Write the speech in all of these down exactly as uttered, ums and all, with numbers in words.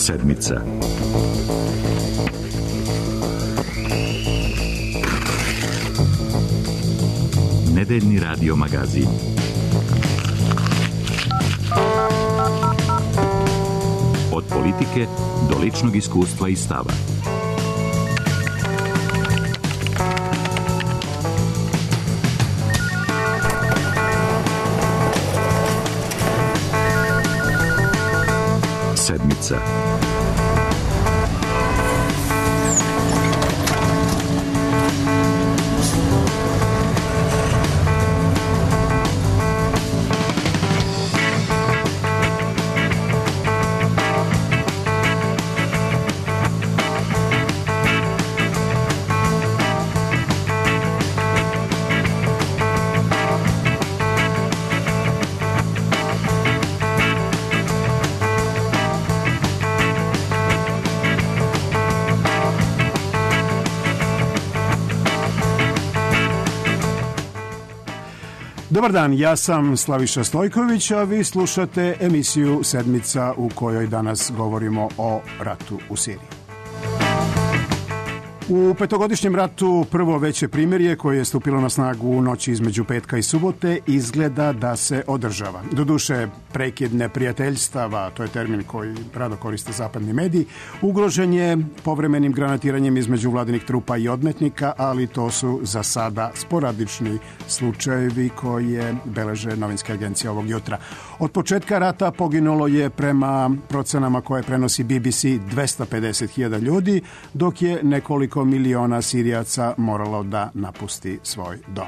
Sedmica. Nedeljni radio magazin. Od politike do ličnog iskustva i stava. Sedmica. Dobar dan, ja sam Slaviša Stojković, a vi slušate emisiju Sedmica u kojoj danas govorimo o ratu u Siriji. U petogodišnjem ratu prvo veće primirje koje je stupilo na snagu u noći između petka i subote izgleda da se održava. Doduše, prekid neprijateljstava, to je termin koji rado koriste zapadni mediji, ugrožen je povremenim granatiranjem između vladinih trupa i odmetnika, ali to su za sada sporadični slučajevi koje beleže novinske agencije ovog jutra. Od početka rata poginulo je prema procenama koje prenosi B B C dvesta pedeset hiljada ljudi, dok je nekoliko miliona Sirijaca moralo da napusti svoj dom.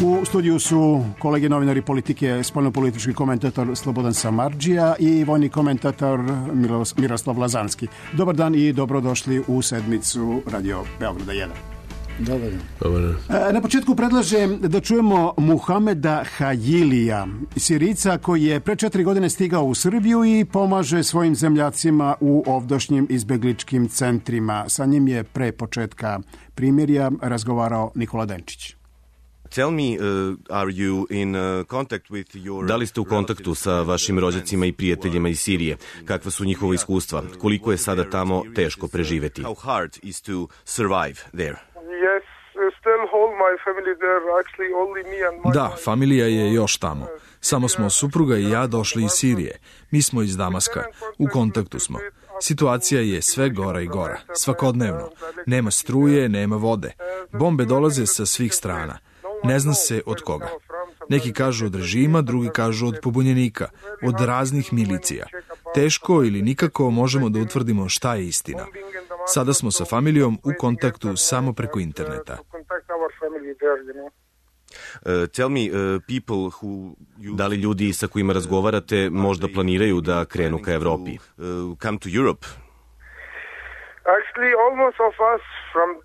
U studiju su kolege novinari politike, spoljnopolitički komentator Slobodan Samardžija i vojni komentator Miroslav Lazanski. Dobar dan i dobrodošli u Sedmicu Radio Beograda jedan. Dobar dan. Dobar dan. Na početku predlažem da čujemo Muhameda Hajilija, Sirijca koji je pre četiri godine stigao u Srbiju i pomaže svojim zemljacima u ovdašnjim izbegličkim centrima. Sa njim je pre početka primirja razgovarao Nikola Denčić. Tell me, uh, are you in uh, contact with your... Da li ste u kontaktu sa vašim rođacima i prijateljima iz Sirije? Kakva su njihova iskustva? Koliko je sada tamo teško preživeti? How hard is to survive there? Da, familija je još tamo. Samo smo supruga i ja došli iz Sirije. Mi smo iz Damaska. U kontaktu smo. Situacija je sve gora i gora. Svakodnevno. Nema struje, nema vode. Bombe dolaze sa svih strana. Ne zna se od koga. Neki kažu od režima, drugi kažu od pobunjenika, od raznih milicija. Teško ili nikako možemo da utvrdimo šta je istina. Sada smo sa familijom u kontaktu samo preko interneta. Uh, tell me, uh, people who you... Da li ljudi sa kojima razgovarate možda planiraju da krenu ka Evropi? Uh, come to Europe? Actually, almost of us from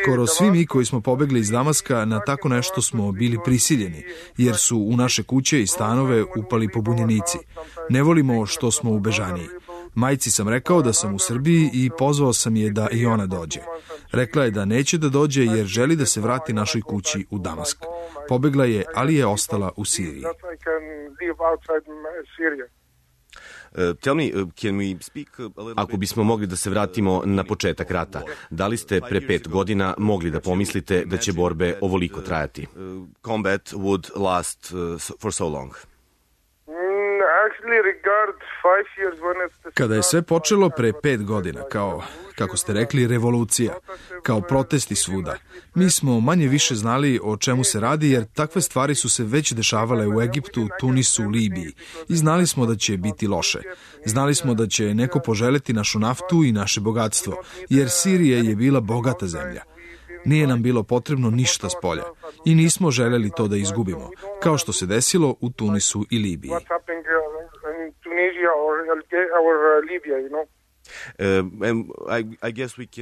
Skoro svi mi koji smo pobegli iz Damaska na tako nešto smo bili prisiljeni, jer su u naše kuće i stanove upali pobunjenici. Ne volimo što smo u bežaniji. Majci sam rekao da sam u Srbiji i pozvao sam je da i ona dođe. Rekla je da neće da dođe jer želi da se vrati našoj kući u Damask. Pobegla je, ali je ostala u Siriji. Uh, tell me, uh, can we speak a little Ako bismo mogli da se vratimo na početak rata, da li ste pre pet godina mogli da pomislite da će borbe ovoliko trajati? Uh, combat would last uh, for so long. Kada je sve počelo pre pet godina, kao, kako ste rekli, revolucija, kao protesti svuda, mi smo manje više znali o čemu se radi, jer takve stvari su se već dešavale u Egiptu, Tunisu, Libiji i znali smo da će biti loše. Znali smo da će neko poželeti našu naftu i naše bogatstvo, jer Sirija je bila bogata zemlja. Nije nam bilo potrebno ništa s polja i nismo želeli to da izgubimo, kao što se desilo u Tunisu i Libiji.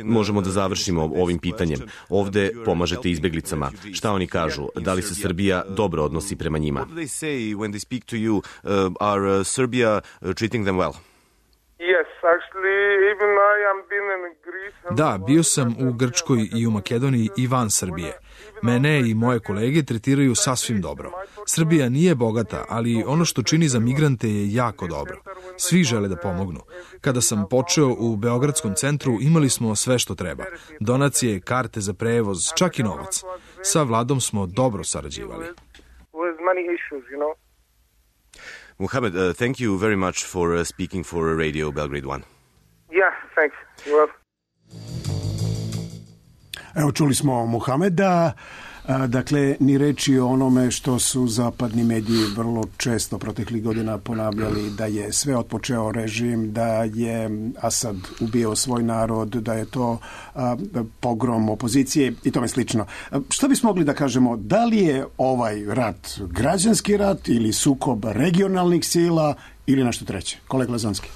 Možemo da završimo ovim pitanjem. Ovde pomažete izbeglicama. Šta oni kažu? Da li se Srbija dobro odnosi prema njima? Da, bio sam u Grčkoj i u Makedoniji i van Srbije. Mene i moje kolege tretiraju sasvim dobro. Srbija nije bogata, ali ono što čini za migrante je jako dobro. Svi žele da pomognu. Kada sam počeo u Beogradskom centru, imali smo sve što treba. Donacije, karte za prevoz, čak i novac. Sa vladom smo dobro sarađivali. Muhammad, uh, thank you very much for uh, speaking for Radio Belgrade one. Yeah, thanks. You're welcome. Evo, čuli smo Muhameda, dakle, ni reči o onome što su zapadni mediji vrlo često proteklih godina ponavljali, da je sve otpočeo režim, da je Asad ubio svoj narod, da je to a, pogrom opozicije i tome slično. Šta bismo mogli da kažemo, da li je ovaj rat građanski rat ili sukob regionalnih sila ili nešto treće? Kolega Lazanski.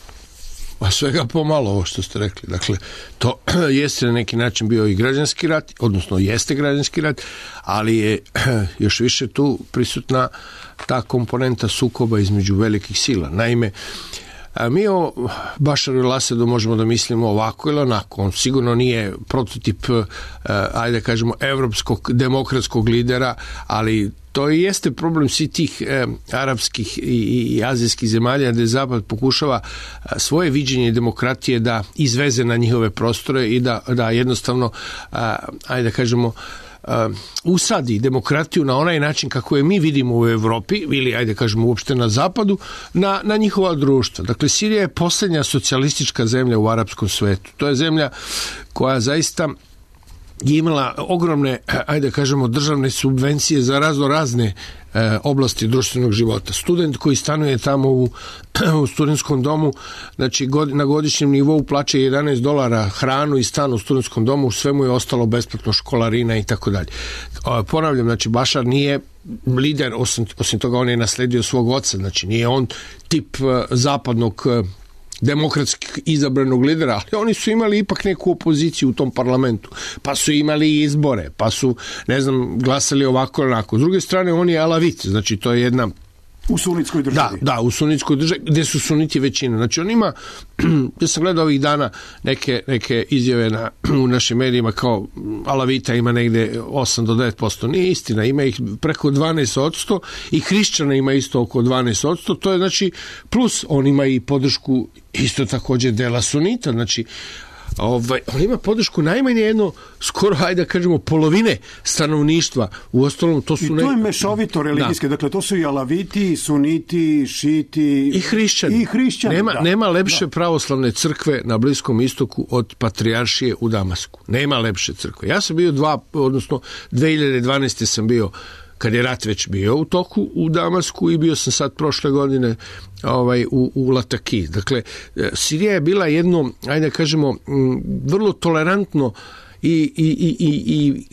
Pa svega pomalo ovo što ste rekli. Dakle, to jeste na neki način bio i građanski rat, odnosno jeste građanski rat, ali je još više tu prisutna ta komponenta sukoba između velikih sila. Naime, mi o Bašaru el-Asadu možemo da mislimo ovako ili onako. On sigurno nije prototip, ajde kažemo, evropskog demokratskog lidera, ali to i jeste problem svih tih e, arapskih i, i azijskih zemalja gde Zapad pokušava svoje viđenje demokratije da izveze na njihove prostore i da, da jednostavno, a, ajde da kažemo, a, usadi demokratiju na onaj način kako je mi vidimo u Evropi ili, ajde kažemo, uopšte na Zapadu, na, na njihova društva. Dakle, Sirija je poslednja socijalistička zemlja u arapskom svetu. To je zemlja koja zaista je imala ogromne, ajde kažemo, državne subvencije za razno razne e, oblasti društvenog života. Student koji stanuje tamo u, u studentskom domu, znači god, na godišnjem nivou plaća jedanaest dolara hranu i stan u studentskom domu, sve mu je ostalo besplatno, školarina i tako dalje. Ponavljam, znači Bašar nije lider, osim, osim toga on je nasledio svog oca, znači nije on tip e, zapadnog e, demokratski izabranog lidera, ali oni su imali ipak neku opoziciju u tom parlamentu, pa su imali izbore, pa su, ne znam, glasali ovako ili onako. S druge strane, on je alavit, znači to je jedna... U sunitskoj državi. Da, da, u sunitskoj državi, gde su suniti većina. Znači on ima, ja sam gledao ovih dana neke, neke izjave na, u našim medijima kao alavita ima negde osam do devet posto. Nije istina, ima ih preko dvanaest posto i hrišćana ima isto oko dvanaest posto. To je znači plus, on ima i podršku isto takođe dela sunita, znači Ovaj, on ima podršku najmanje jedno, skoro, hajde da kažemo, polovine stanovništva. U ostalom, to su... I to je mešovito religijske, da. Dakle, to su i alaviti, suniti, šiti... I hrišćani. I hrišćani, nema, da. Nema lepše da. pravoslavne crkve na Bliskom istoku od Patrijaršije u Damasku. Nema lepše crkve. Ja sam bio dva, odnosno dve hiljade dvanaeste sam bio, kad je rat već bio u toku u Damasku, i bio sam sad prošle godine ovaj, u, u Lataki. Dakle, Sirija je bila jedno, ajde da kažemo, vrlo tolerantno i, i, i, i, i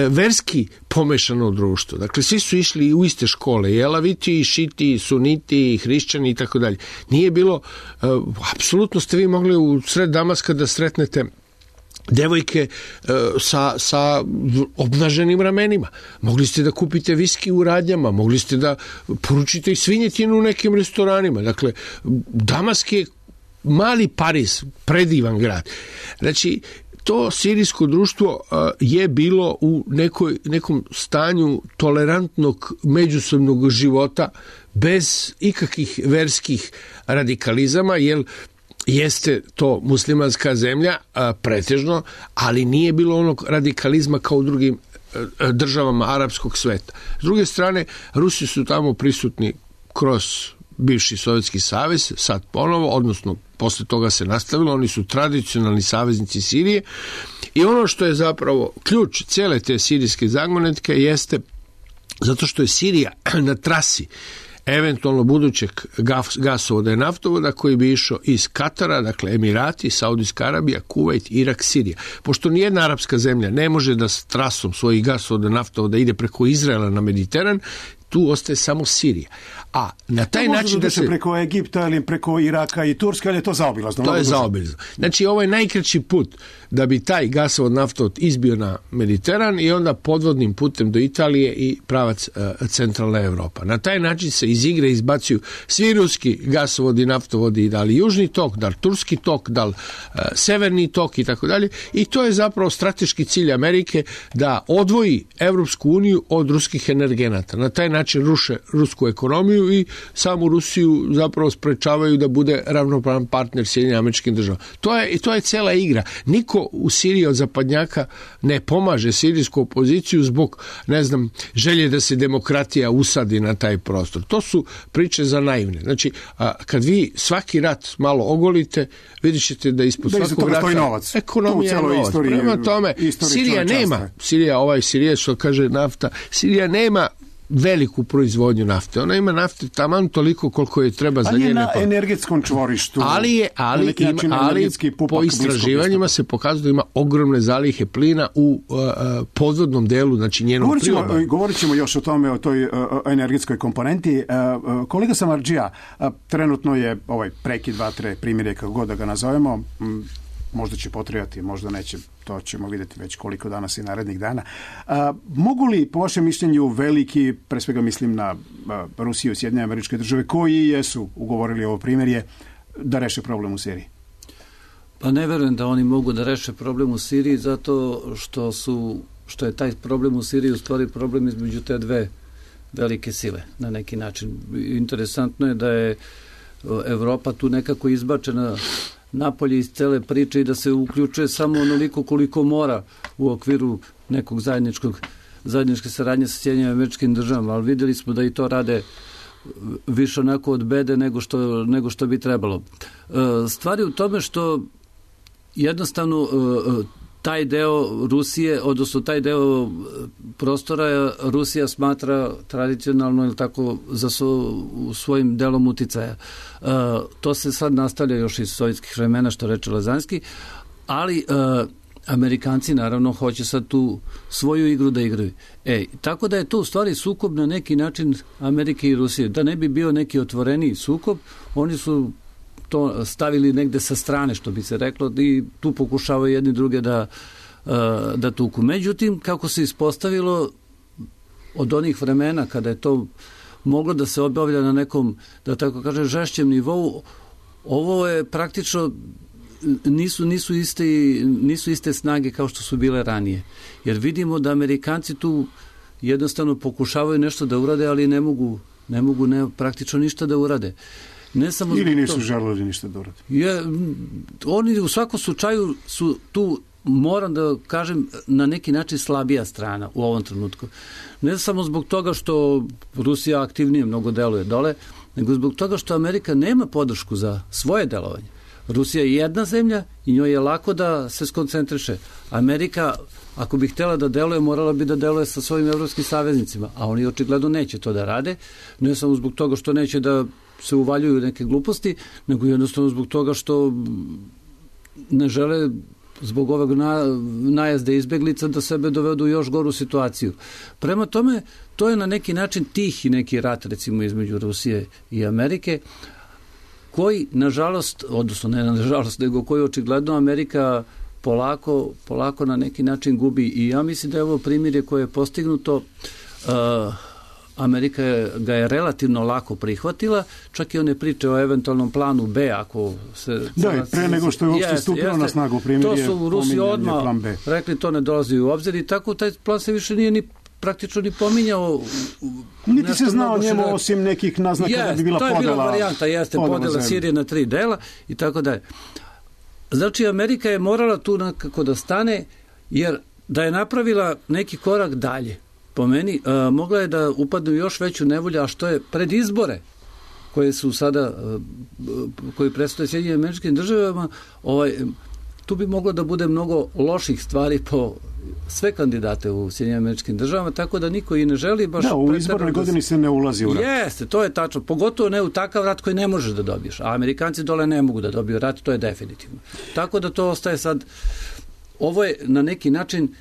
verski pomešano društvo. Dakle, svi su išli u iste škole, i elaviti, i šiti, i suniti, i hrišćani i tako dalje. Nije bilo, apsolutno ste vi mogli u sred Damaska da sretnete devojke e, sa, sa obnaženim ramenima. Mogli ste da kupite viski u radnjama, mogli ste da poručite i svinjetinu u nekim restoranima. Dakle, Damask je mali Pariz, predivan grad. Znači, to sirijsko društvo a, je bilo u nekoj, nekom stanju tolerantnog međusobnog života bez ikakvih verskih radikalizama, jer jeste to muslimanska zemlja a, pretežno, ali nije bilo onog radikalizma kao u drugim a, državama arapskog sveta. S druge strane, Rusi su tamo prisutni kroz bivši Sovjetski savez, sad ponovo, odnosno posle toga se nastavilo, oni su tradicionalni saveznici Sirije, i ono što je zapravo ključ cele te sirijske zagonetke jeste zato što je Sirija na trasi eventualno budućeg gasovoda i naftovoda koji bi išao iz Katara, dakle Emirati, Saudijska Arabija, Kuvajt, Irak, Sirija. Pošto nijedna arapska zemlja ne može da s trasom svojih gasovoda i naftovoda ide preko Izraela na Mediteran, tu ostaje samo Sirija. A na taj to način da se... preko Egipta ili preko Iraka i Turske, ali je to zaobilazno. To je zaobilazno. Znači, ovo je najkraći put da bi taj gasovod naftovod izbio na Mediteran i onda podvodnim putem do Italije i pravac uh, centralna Evropa. Na taj način se iz igre izbacuju svi ruski gasovodi, naftovodi, da li južni tok, da li turski tok, da li uh, severni tok i tako dalje. I to je zapravo strateški cilj Amerike da odvoji Evropsku uniju od ruskih energenata. Na taj način ruše rusku ekonomiju i samu Rusiju zapravo sprečavaju da bude ravnopravan partner Sjedinjenim Američkim Državama. To je, to je cela igra. Niko u Siriji od zapadnjaka ne pomaže sirijsku opoziciju zbog, ne znam, želje da se demokratija usadi na taj prostor. To su priče za naivne. Znači, a, kad vi svaki rat malo ogolite, vidjet ćete da ispod da svakog rata novac. Ekonomija je novac. Istoriji, Prema tome, Sirija nema, Sirija, ovaj Sirija što kaže nafta, Sirija nema veliku proizvodnju nafte. Ona ima nafte taman toliko koliko je treba za njene... Ali je na energetskom čvorištu. Ali je, ali, ima, ali po istraživanjima se pokazuje da ima ogromne zalihe plina u uh, podvodnom delu, znači njenog priobalja. Govorit ćemo još o tome, o toj uh, energetskoj komponenti. Uh, uh, kolega Samardžija, uh, trenutno je ovaj prekid vatre, primjer je kako god da ga nazovemo, m, možda će potrebati, možda neće, to ćemo vidjeti već koliko danas i narednih dana. A, mogu li, po vašem mišljenju, veliki, pre svega mislim na a, Rusiju i Sjedinjene Američke Države, koji jesu ugovorili ovo primjerje, da reše problem u Siriji? Pa ne verujem da oni mogu da reše problem u Siriji zato što su, što je taj problem u Siriji u stvari problem između te dve velike sile, na neki način. Interesantno je da je Evropa tu nekako izbačena napolje iz cele priče i da se uključuje samo onoliko koliko mora u okviru nekog zajedničkog zajedničke saradnje sa Sjedinjenim Američkim Državama, ali vidjeli smo da i to rade više onako od bede nego što, nego što bi trebalo. Stvari u tome što jednostavno taj deo Rusije, odnosno taj deo prostora Rusija smatra tradicionalno ili tako za svo, svojim delom uticaja. E, to se sad nastavlja još iz sovjetskih vremena, što reče Lazanski, ali e, Amerikanci naravno hoće sad tu svoju igru da igraju. E, tako da je to u stvari sukob na neki način Amerike i Rusije. Da ne bi bio neki otvoreniji sukob, oni su to stavili negde sa strane, što bi se reklo, i tu pokušavaju jedni druge da, da tuku. Međutim, kako se ispostavilo od onih vremena kada je to moglo da se obavlja na nekom, da tako kažem, žešćem nivou, ovo je praktično nisu, nisu, iste, nisu iste snage kao što su bile ranije. Jer vidimo da Amerikanci tu jednostavno pokušavaju nešto da urade, ali ne mogu, ne mogu ne, praktično ništa da urade. Ne samo ili nisu želeli ništa da urade. Je, oni u svakom slučaju su tu, moram da kažem, na neki način slabija strana u ovom trenutku. Ne samo zbog toga što Rusija aktivnije mnogo deluje dole, nego zbog toga što Amerika nema podršku za svoje delovanje. Rusija je jedna zemlja i njoj je lako da se skoncentriše. Amerika, ako bi htjela da deluje, morala bi da deluje sa svojim evropskim saveznicima, a oni očigledno neće to da rade, ne samo zbog toga što neće da se uvaljuju neke gluposti, nego jednostavno zbog toga što ne žele zbog ovog na, najezde izbeglica da sebe dovedu u još goru situaciju. Prema tome, to je na neki način tihi neki rat, recimo, između Rusije i Amerike, koji, nažalost, odnosno ne nažalost, nego koji očigledno Amerika polako, polako na neki način gubi. I ja mislim da je ovo primjer koje je postignuto, uh, Amerika je, ga je relativno lako prihvatila, čak i one priče o eventualnom planu B, ako se... Da, je, pre nego što je uopšte jeste, stupilo jeste, na snagu primjer, to su Rusi odmah rekli, to ne dolazi u obzir i tako taj plan se više nije ni praktično ni pominjao. Niti se znao o njemu osim nekih naznaka jest, da bi bila podela. To je bila varijanta, jeste podela Sirije na tri dela i tako dalje. Znači, Amerika je morala tu nekako da stane, jer da je napravila neki korak dalje, po meni, a, mogla je da upadne u još veću nevolju, a što je pred izbore koje su sada, a, koji predstoje Sjedinjenim Američkim Državama, ovaj, tu bi moglo da bude mnogo loših stvari po sve kandidate u Sjedinjenim Američkim Državama, tako da niko i ne želi baš... Da, u izbornoj godini se ne ulazi u rat. Jeste, to je tačno. Pogotovo ne u takav rat koji ne možeš da dobiješ. A Amerikanci dole ne mogu da dobiju rat, to je definitivno. Tako da to ostaje sad... Ovo je na neki način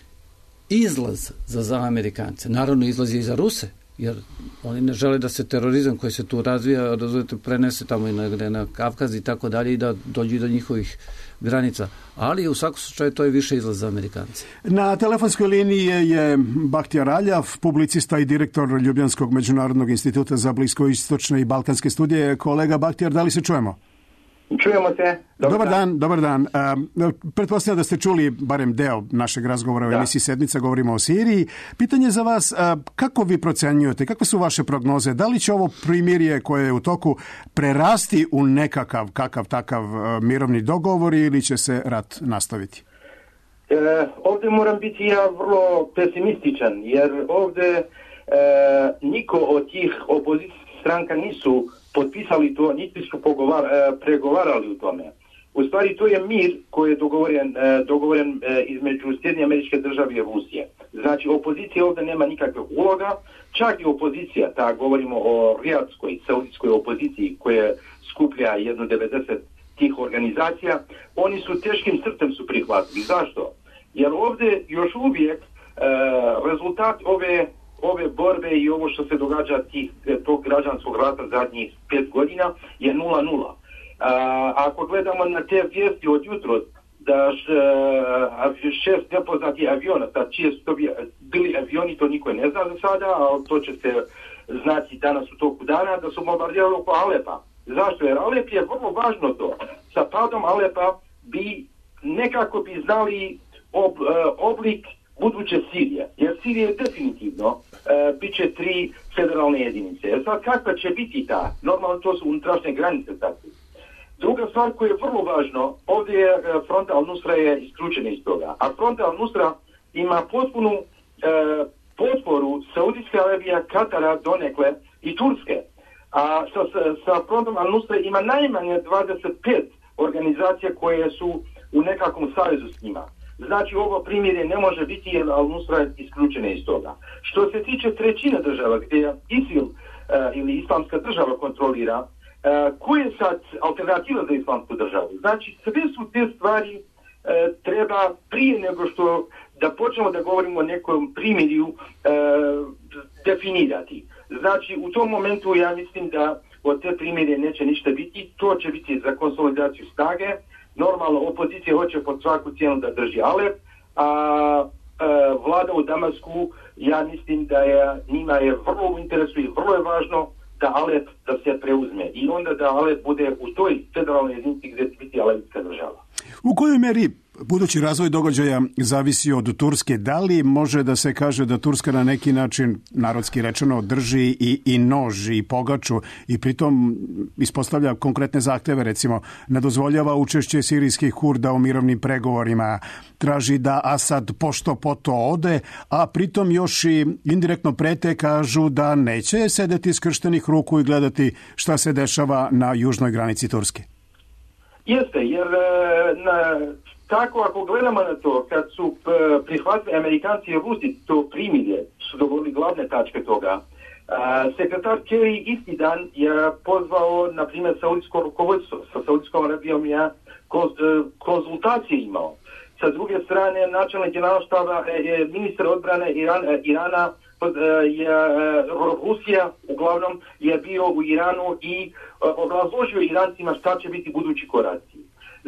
izlaz za, za Amerikance. Naravno, izlaz je i za Ruse, jer oni ne žele da se terorizam koji se tu razvija, razumete, prenese tamo i na, na Kavkaz i tako dalje i da dođe do njihovih granica. Ali u svakom slučaju to je više izlaz za Amerikanci. Na telefonskoj liniji je Bahtjar Aljav, publicista i direktor Ljubljanskog međunarodnog instituta za bliskoistočne i balkanske studije. Kolega Bahtjar, da li se čujemo? Čujemo se. Dobar, dobar dan. dan, dobar dan. Uh, pretpostavljam da ste čuli barem deo našeg razgovora u da. emisiji Sedmica, govorimo o Siriji. Pitanje za vas, uh, kako vi procenjujete, kakve su vaše prognoze? Da li će ovo primirje koje je u toku prerasti u nekakav, kakav takav uh, mirovni dogovor ili će se rat nastaviti? E, ovdje moram biti ja vrlo pesimističan, jer ovdje e, niko od tih opozicijskih stranka nisu potpisali to, niti su pogovar, pregovarali u tome. U stvari to je mir koji je dogovoren, dogovoren između Sjedinjenih Američke Države i Rusije. Znači opozicija ovdje nema nikakve uloga, čak i opozicija, ta govorimo o rijadskoj, saudijskoj opoziciji koja skuplja jedno devedeset tih organizacija, oni su teškim srcem su prihvatili. Zašto? Jer ovdje još uvijek e, rezultat ove ove borbe i ovo što se događa tih, tog građanskog rata zadnjih pet godina je nula nula. A, ako gledamo na te vijesti od jutro da š, a, šest nepoznatih aviona, da čije su to bili avioni, to niko ne zna za sada, ali to će se znati danas u toku dana, da su bombardirali oko Alepa. Zašto? Jer Alep je vrlo važno to. Sa padom Alepa bi nekako bi znali ob, oblik buduće Sirije, jer Sirije definitivno uh, bit će tri federalne jedinice. Jer sad kakva će biti ta? Normalno to su unutrašnje granice takve. Druga stvar koja je vrlo važno, ovdje je uh, Front al-Nusra je isključena iz toga, a Front al-Nusra ima potpunu uh, potporu Saudijske Arabije, Katara, donekle i Turske. A sa, sa Frontom al-Nusra ima najmanje dvadeset pet organizacija koje su u nekakvom savezu s njima. Znači ovo primjerje ne može biti jer al-Nusra je isključena iz toga. Što se tiče trećine država gdje ISIL uh, ili islamska država kontrolira, uh, koja je sad alternativa za islamsku državu? Znači sve su te stvari uh, treba prije nego što da počnemo da govorimo o nekom primjerju uh, definirati. Znači u tom momentu ja mislim da od te primjerje neće ništa biti, to će biti za konsolidaciju snage. Normalno, opozicija hoće pod svaku cijenu da drži Alep, a, a vlada u Damasku, ja mislim da je, njima je vrlo u interesu i vrlo je važno da Alep da se preuzme i onda da Alep bude u toj federalnoj jedinici gdje će biti alepska država. U kojoj meri budući razvoj događaja zavisi od Turske? Da li može da se kaže da Turska na neki način, narodski rečeno, drži i, i nož i pogaču i pritom ispostavlja konkretne zahteve, recimo ne dozvoljava učešće sirijskih Kurda u mirovnim pregovorima, traži da Asad pošto poto ode, a pritom još i indirektno prete, kažu da neće sedeti skrštenih ruku i gledati šta se dešava na južnoj granici Turske? Jeste, jer na, tako ako gledamo na to, kad su prihvatili Amerikanci i Rusi to primirje, su dogovorili glavne tačke toga, a, sekretar Kerry isti dan je pozvao, na primjer, saudijsko rukovodstvo. Sa Saudijskom Arabijom je konzultacije imao. Sa druge strane, načelnik generalštaba, ministar odbrane Iran, Irana, je Rusija uglavnom je bio u Iranu i obrazložio Irancima šta će biti budući koraci.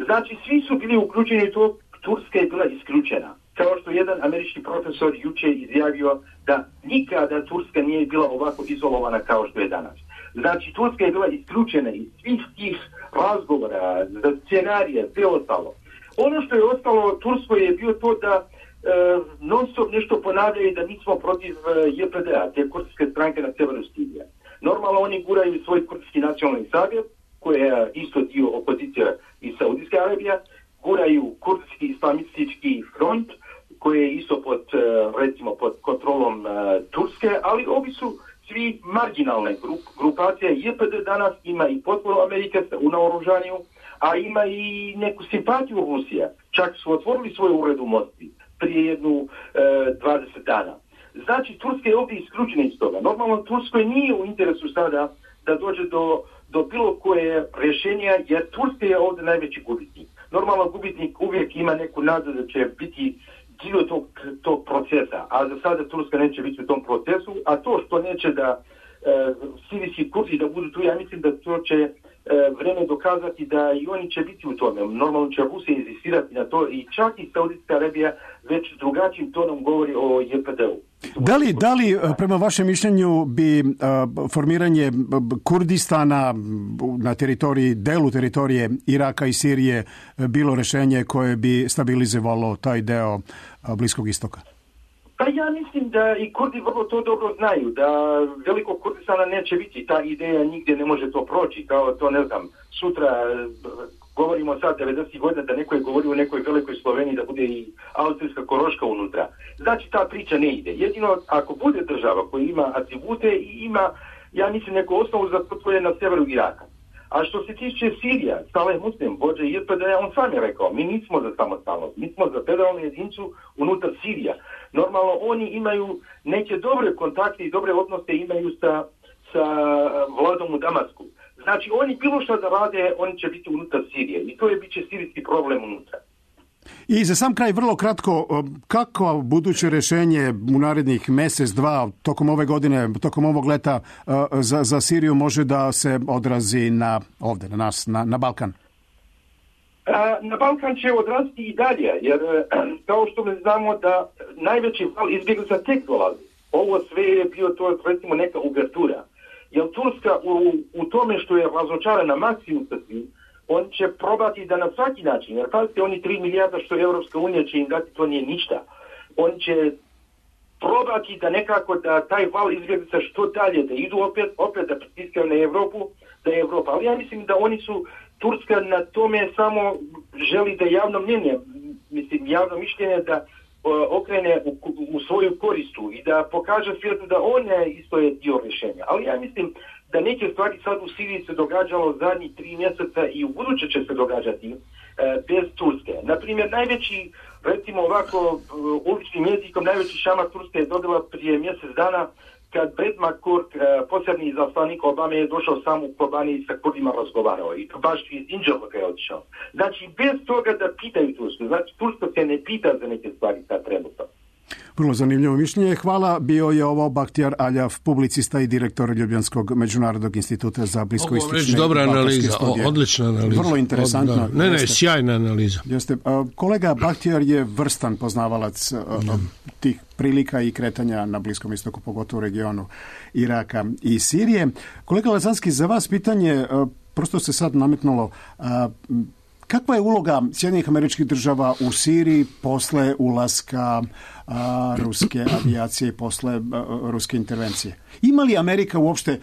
Znači svi su bili uključeni u to, Turska je bila isključena. Kao što jedan američki profesor juče izjavio da nikada Turska nije bila ovako izolovana kao što je danas. Znači Turska je bila isključena iz svih tih razgovora, scenarija, sve ostalo. Ono što je ostalo Turskoj je bio to da Uh, non stop nešto ponavljaju da nismo protiv uh, J P D-a, te kurdske stranke na severu Sirije. Normalno oni guraju svoj kurdski nacionalni savjet, koji je isto dio opozicija iz Saudijske Arabije, guraju kurdski islamistički front, koji je isto pod, uh, recimo, pod kontrolom uh, Turske, ali ovi su svi marginalne grup, grupacije. J P D danas ima i potporu Amerike u naoružanju, a ima i neku simpatiju Rusije. Čak su otvorili svoj ured u Moskvi prije jednu e, dvadeset dana. Znači, Turska je ovdje isključena iz toga. Normalno, Turskoj nije u interesu sada da dođe do, do bilo koje rješenja, jer Turska je ovdje najveći gubitnik. Normalno, gubitnik uvijek ima neku nadu da će biti dio tog, tog procesa, a za sada Turska neće biti u tom procesu, a to što neće da e, sirijski Kurdi da budu tu, ja mislim da to će e, vreme dokazati da i oni će biti u tome. Normalno će Rusija insistirati na to i čak i Saudijska Arabija već drugačijim tonom govori o J P D-u. Da li, da li prema vašem mišljenju bi uh, formiranje Kurdistana na teritoriji, delu teritorije Iraka i Sirije bilo rješenje koje bi stabilizovalo taj deo uh, Bliskog istoka? Pa ja mislim da i Kurdi vrlo to dobro znaju, da velikog Kurdistana neće biti, ta ideja nigdje ne može to proći, kao to ne znam, sutra govorimo sad devedesetih godina da neko je govorio u nekoj velikoj Sloveniji da bude i austrijska Koroška unutra. Znači ta priča ne ide. Jedino ako bude država koja ima atribute i ima, ja mislim, neku osnovu za to je na severu Iraka. A što se tiče Sirija, Saleh Muslim, vođa J P D-a, on sam je rekao, mi nismo za samostalnost, mi smo za federalnu jedinicu unutar Sirija. Normalno oni imaju neke dobre kontakte i dobre odnose imaju sa, sa vladom u Damasku. Znači oni bilo što da rade, oni će biti unutar Sirije i to je bit će sirijski problem unutra. I za sam kraj vrlo kratko, kako buduće rješenje u narednih mjesec, dva, tokom ove godine, tokom ovog leta za, za Siriju može da se odrazi na ovdje, na nas, na, na Balkan? Na Balkan će odraziti i dalje, jer kao što mi znamo da najveći val izbjeglica tek dolazi. Ovo sve je bio to, recimo, neka uvertura. Jer Turska u, u tome što je razočarana maksimum sa svim, on će probati da na svaki način, jer pazite, oni tri milijarda što Europska unija će im dati, to nije ništa. On će probati da nekako da taj val izbjeglica što dalje, da idu opet, opet da pritiskaju na Europu, da je Evropa. Ali ja mislim da oni su, Turska na tome samo želi da javno mnjenje, mislim javno mišljenje da okrene u, u svoju koristu i da pokaže svijetu da on je isto je dio rješenja. Ali ja mislim da neke stvari sad u Siriji se događalo zadnjih tri mjeseca i u buduće će se događati e, bez Turske. Naprimjer, najveći, recimo ovako uličnim jezikom, najveći šamar Turske je dobila prije mjesec dana kad Brett McCourt, e, posebni izaslanik Obame, je došao sam u Kobani i sa Kurdima razgovarao. I to baš iz Inđelvoka je otišao. Znači, bez toga da pitaju Tursku. Znači, Turska se ne pita za neke stvari sad trenutno. Vrlo zanimljivo mišljenje. Hvala. Bio je ovo Bahtiyar Aljav, publicista i direktor Ljubljanskog međunarodnog instituta za bliskoistočne. Dobra analiza, o, odlična analiza. Vrlo interesantna. Od, ne, ne, sjajna analiza. Jeste. Kolega Bahtiyar je vrstan poznavalac mm. tih prilika i kretanja na Bliskom istoku, pogotovo u regionu Iraka i Sirije. Kolega Lazanski, za vas pitanje, prosto se sad nametnulo, kakva je uloga Sjedinjenih Američkih Država u Siriji posle ulaska a, ruske avijacije i posle a, ruske intervencije? Ima li Amerika uopšte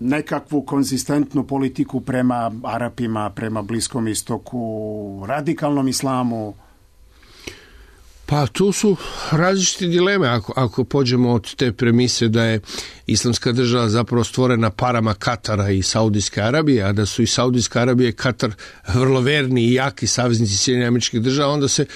nekakvu konzistentnu politiku prema Arapima, prema Bliskom istoku, radikalnom islamu? Pa tu su različite dileme ako, ako pođemo od te premise da je Islamska država zapravo stvorena parama Katara i Saudijske Arabije, a da su i Saudijska Arabija i Katar vrlo verni i jaki saveznici Sjedinjenih Američkih Država, onda se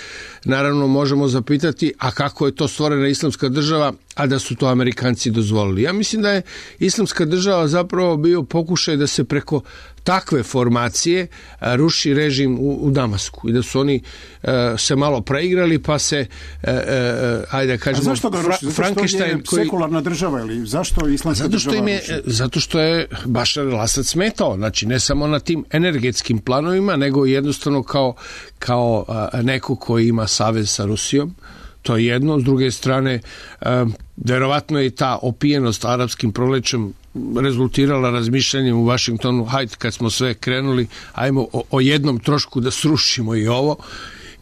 naravno možemo zapitati, a kako je to stvorena Islamska država, a da su to Amerikanci dozvolili. Ja mislim da je Islamska država zapravo bio pokušaj da se preko takve formacije a, ruši režim u, u Damasku i da su oni a, se malo preigrali pa se a, a, ajde da kažemo, a zašto ga ruši? Zato što je koji... sekularna država ili zašto Islamska zato što država im je, zato što je Bašar el-Asad smetao, znači ne samo na tim energetskim planovima, nego jednostavno kao, kao a, neko koji ima savez sa Rusijom. To je jedno. S druge strane, a, verovatno je ta opijenost arapskim prolećem rezultirala razmišljanjem u Vašingtonu, hajde kad smo sve krenuli, ajmo o, o jednom trošku da srušimo i ovo.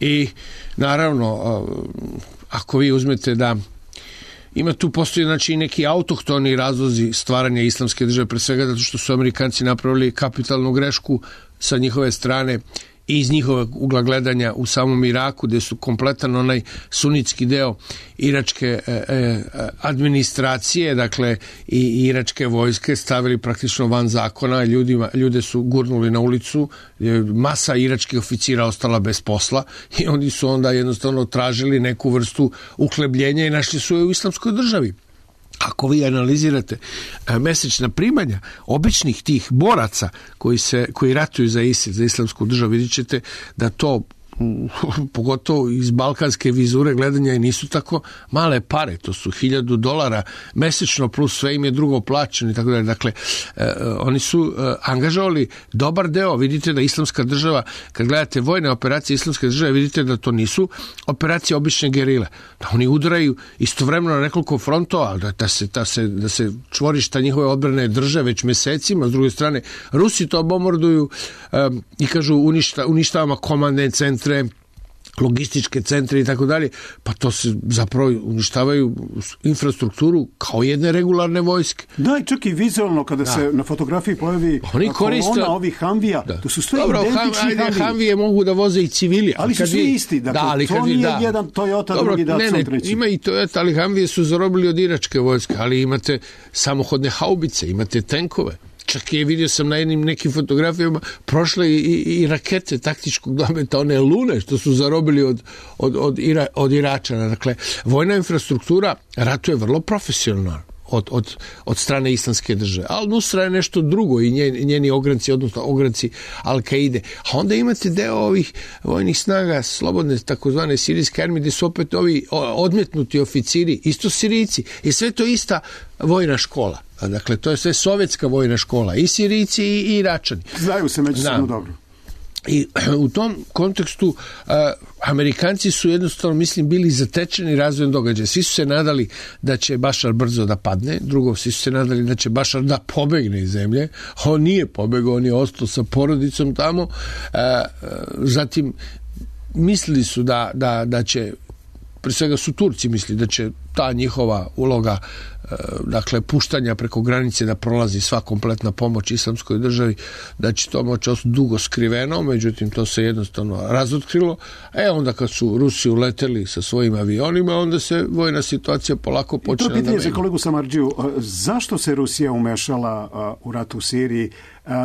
I naravno, a, ako vi uzmete da ima tu postoji znači neki autohtoni razlozi stvaranja Islamske države, pre svega zato što su Amerikanci napravili kapitalnu grešku sa njihove strane i iz njihovog ugla gledanja u samom Iraku, gdje su kompletan onaj sunitski deo iračke e, e, administracije, dakle i iračke vojske stavili praktično van zakona, ljudima, ljude su gurnuli na ulicu, masa iračkih oficira ostala bez posla i oni su onda jednostavno tražili neku vrstu uhlebljenja i našli su je u Islamskoj državi. Ako vi analizirate a, mesečna primanja običnih tih boraca koji se koji ratuju za ISIL, za Islamsku državu, vidjet ćete da to pogotovo iz balkanske vizure gledanja i nisu tako male pare, to su hiljadu dolara mesečno plus sve im je drugo plaćeno i tako dalje. Dakle, eh, oni su eh, angažovali dobar deo, vidite da islamska država, kad gledate vojne operacije islamske države, vidite da to nisu operacije obične gerile, da oni udaraju istovremeno na nekoliko frontova, da, da, se, da, se, da se čvorišta njihove odbrane drže već mesecima, s druge strane Rusi to bombarduju eh, i kažu uništa, uništavamo komandne centre, logističke centre i tako dalje, pa to se zapravo uništavaju infrastrukturu kao jedne regularne vojske. Da, i čak i vizualno kada da. se na fotografiji pojavi oni koriste kolona ovih Humvija, da. to su sve Dobro, identični Humvije. Humvije mogu da voze i civili. Ali su svi isti, dakle, da, ali to nije da. jedan Toyota, Dobro, drugi Datsun, ne, treći. Ima i Toyota, ali Humvije su zarobili od iračke vojske, ali imate samohodne haubice, imate tenkove. Čak je, vidio sam na jednim nekim fotografijama, prošle i, i, i rakete taktičkog dometa, one lune što su zarobili od, od, od, Ira, od Iračana. Dakle, vojna infrastruktura ratuje vrlo profesionalno od, od, od strane islamske države. Al-Nusra je nešto drugo i njeni, njeni ogranci, odnosno ogranci Al-Kaide. A onda imate deo ovih vojnih snaga, slobodne takozvane sirijske armije, gde su opet ovi odmetnuti oficiri, isto Sirijci. I sve to ista vojna škola. Dakle, to je sve sovjetska vojna škola. I Sirijci i, i Iračani. Znaju se međusobno dobro. I u tom kontekstu uh, Amerikanci su jednostavno, mislim, bili zatečeni razvojem događaja. Svi su se nadali da će Bašar brzo da padne, drugo, svi su se nadali da će Bašar da pobegne iz zemlje. On nije pobegao, on je ostao sa porodicom tamo. Uh, zatim, mislili su da, da, da će, pre svega su Turci mislili da će ta njihova uloga, dakle, puštanja preko granice da prolazi sva kompletna pomoć islamskoj državi, da će to moći ostati dugo skriveno, međutim to se jednostavno razotkrilo. E onda kad su Rusi uleteli sa svojim avionima, onda se vojna situacija polako počela da menja. To pitanje za kolegu Samardžiju, zašto se Rusija umešala u rat u Siriji?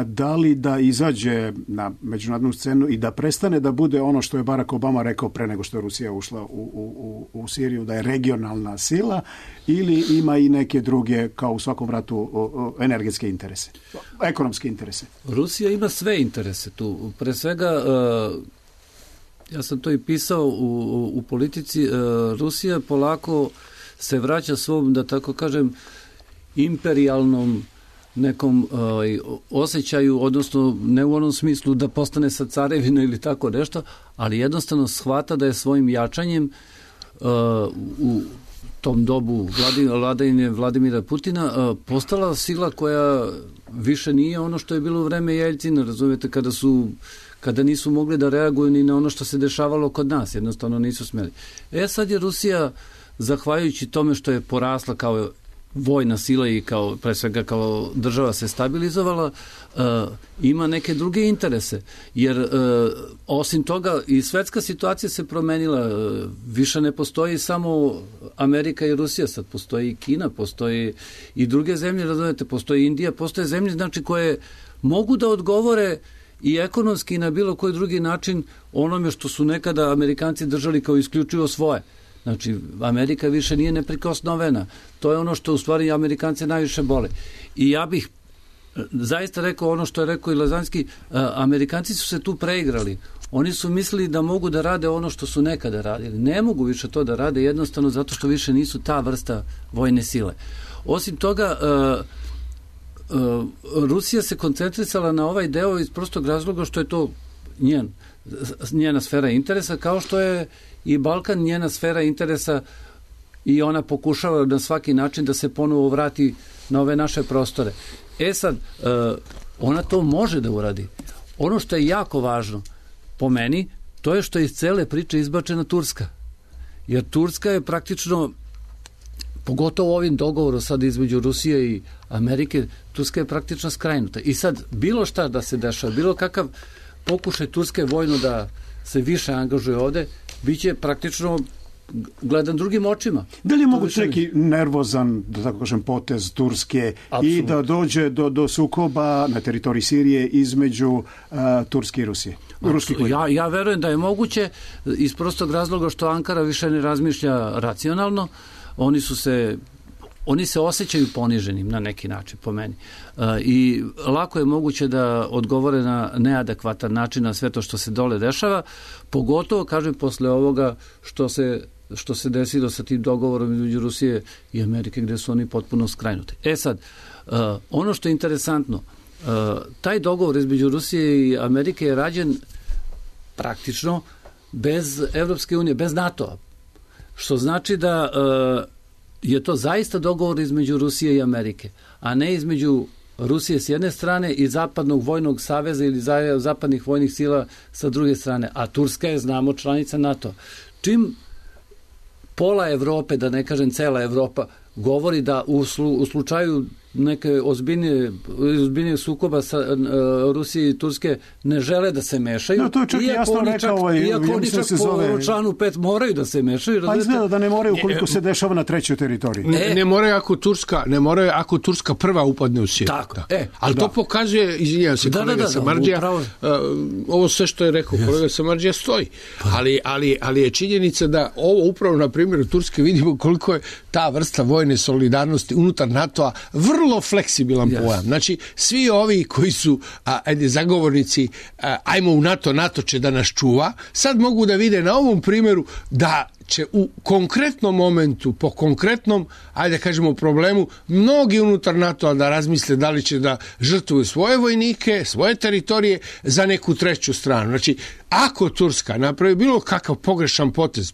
Da li da izađe na međunarodnu scenu i da prestane da bude ono što je Barack Obama rekao pre nego što je Rusija ušla u, u, u Siriju, da je regionalna sila, ili ima i neke druge, kao u svakom ratu, energetske interese, ekonomske interese? Rusija ima sve interese tu. Pre svega, ja sam to i pisao u, u politici, Rusija polako se vraća svom, da tako kažem, imperijalnom nekom ovaj, osjećaju, odnosno ne u onom smislu da postane sa carevina ili tako nešto, ali jednostavno shvata da je svojim jačanjem uh, u tom dobu vladavine Vladimira Putina uh, postala sila koja više nije ono što je bilo u vreme Jeljcina, razumijete, kada su kada nisu mogli da reaguju ni na ono što se dešavalo kod nas, jednostavno nisu smeli. E sad je Rusija, zahvaljujući tome što je porasla kao vojna sila i kao, pre svega kao država se stabilizovala, uh, ima neke druge interese. Jer uh, osim toga i svetska situacija se promenila. Uh, više ne postoji samo Amerika i Rusija, sad postoji i Kina, postoji i druge zemlje, razumete, postoji Indija, postoje zemlje, znači, koje mogu da odgovore i ekonomski i na bilo koji drugi način onome što su nekada Amerikanci držali kao isključivo svoje. Znači, Amerika više nije neprikosnovena. To je ono što u stvari Amerikance najviše bole. I ja bih zaista rekao ono što je rekao i Lazanski, Amerikanci su se tu preigrali. Oni su mislili da mogu da rade ono što su nekada radili. Ne mogu više to da rade jednostavno zato što više nisu ta vrsta vojne sile. Osim toga, Rusija se koncentrisala na ovaj deo iz prostog razloga što je to njen, njena sfera interesa, kao što je i Balkan njena sfera interesa i ona pokušava na svaki način da se ponovo vrati na ove naše prostore. E sad, ona to može da uradi. Ono što je jako važno po meni, to je što je iz cele priče izbačena Turska. Jer Turska je praktično, pogotovo ovim dogovorom sad između Rusije i Amerike, Turska je praktično skrajnuta. I sad, bilo šta da se dešava, bilo kakav pokušaj Turske vojno da se više angažuje ovde, bit će praktično gledan drugim očima. Da li je moguć neki nervozan, da tako kažem, potez Turske Absolut. I da dođe do, do sukoba na teritoriji Sirije između uh, Turske i Rusije? Ja, ja verujem da je moguće iz prostog razloga što Ankara više ne razmišlja racionalno. Oni su se oni se osjećaju poniženim na neki način, po meni. I lako je moguće da odgovore na neadekvatan način na sve to što se dole dešava, pogotovo, kažem, posle ovoga što se što se desilo sa tim dogovorom između Rusije i Amerike, gde su oni potpuno skrajnuti. E sad, ono što je interesantno, taj dogovor između Rusije i Amerike je rađen praktično bez Evropske unije, bez NATO-a. Što znači da je to zaista dogovor između Rusije i Amerike, a ne između Rusije s jedne strane i Zapadnog vojnog saveza ili zapadnih vojnih sila sa druge strane. A Turska je, znamo, članica NATO. Čim pola Evrope, da ne kažem cela Evropa, govori da u, slu, u slučaju neke ozbiljnije, ozbiljnije sukoba sa uh, Rusije i Turske ne žele da se mešaju. No, to je čak iako jasno oni rekao čak, ovaj, iako ja oni čak se po zove... članu pet moraju da se mešaju. Pa izgleda da ne moraju ukoliko se dešava na trećoj teritoriji. Ne, ne moraju ako Turska, ne moraju ako Turska prva upadne u Siriju. Tako, da. e, Ali da. to pokazuje, izvinjavam se, da, kolega da, da, Samardžija, upravo... uh, ovo sve što je rekao yes. kolega Samardžija stoji. Pa. Ali, ali, ali je činjenica da ovo upravo na primjeru Turske vidimo koliko je ta vrsta vojne solidarnosti unutar NATO-a vrlo fleksibilan yes. pojam. Znači, svi ovi koji su a, ajde, zagovornici a, ajmo u NATO, NATO će da nas čuva, sad mogu da vide na ovom primjeru da će u konkretnom momentu, po konkretnom, ajde kažemo problemu, mnogi unutar NATO-a da razmisle da li će da žrtvuju svoje vojnike, svoje teritorije za neku treću stranu. Znači, ako Turska napravi bilo kakav pogrešan potez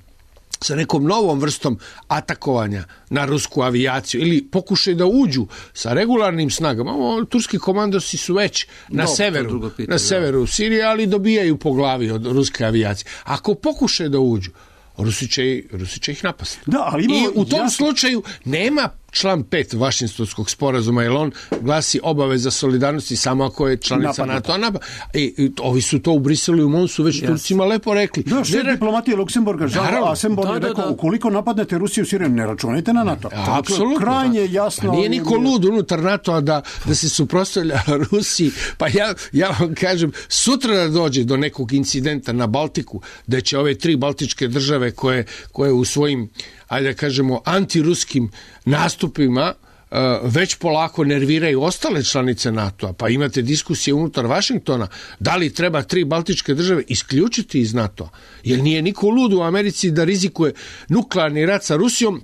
sa nekom novom vrstom atakovanja na rusku avijaciju ili pokušaju da uđu sa regularnim snagama. O, turski komandosi su već na no, severu, pitanje, na severu da. Sirije, ali dobijaju po glavi od ruske avijacije. Ako pokušaju da uđu, Rusi će, Rusi će ih napasti. Da, ali imamo, i u tom jasno... slučaju nema član pet Vašingtonskog sporazuma, jer on glasi obaveza solidarnosti samo ako je članica NATO-a. Napa. I, I ovi su to u Briselu i u Monsu već yes. Turcima lepo rekli. Da, šef ne... diplomatije Luksemburga, Žao Asemborg je rekao, da, da. ukoliko napadnete Rusiju u Siriju, ne računajte na NATO. A, apsolutno. Krajnje jasno. Pa nije niko lud unutar NATO-a da, da se suprotstavlja Rusiji. Pa ja, ja vam kažem, sutra da dođe do nekog incidenta na Baltiku, da će ove tri baltičke države koje, koje u svojim, ajde da kažemo, antiruskim nastupima uh, već polako nerviraju ostale članice NATO-a, pa imate diskusije unutar Vašingtona, da li treba tri baltičke države isključiti iz NATO-a, jer nije niko lud u Americi da rizikuje nuklearni rat sa Rusijom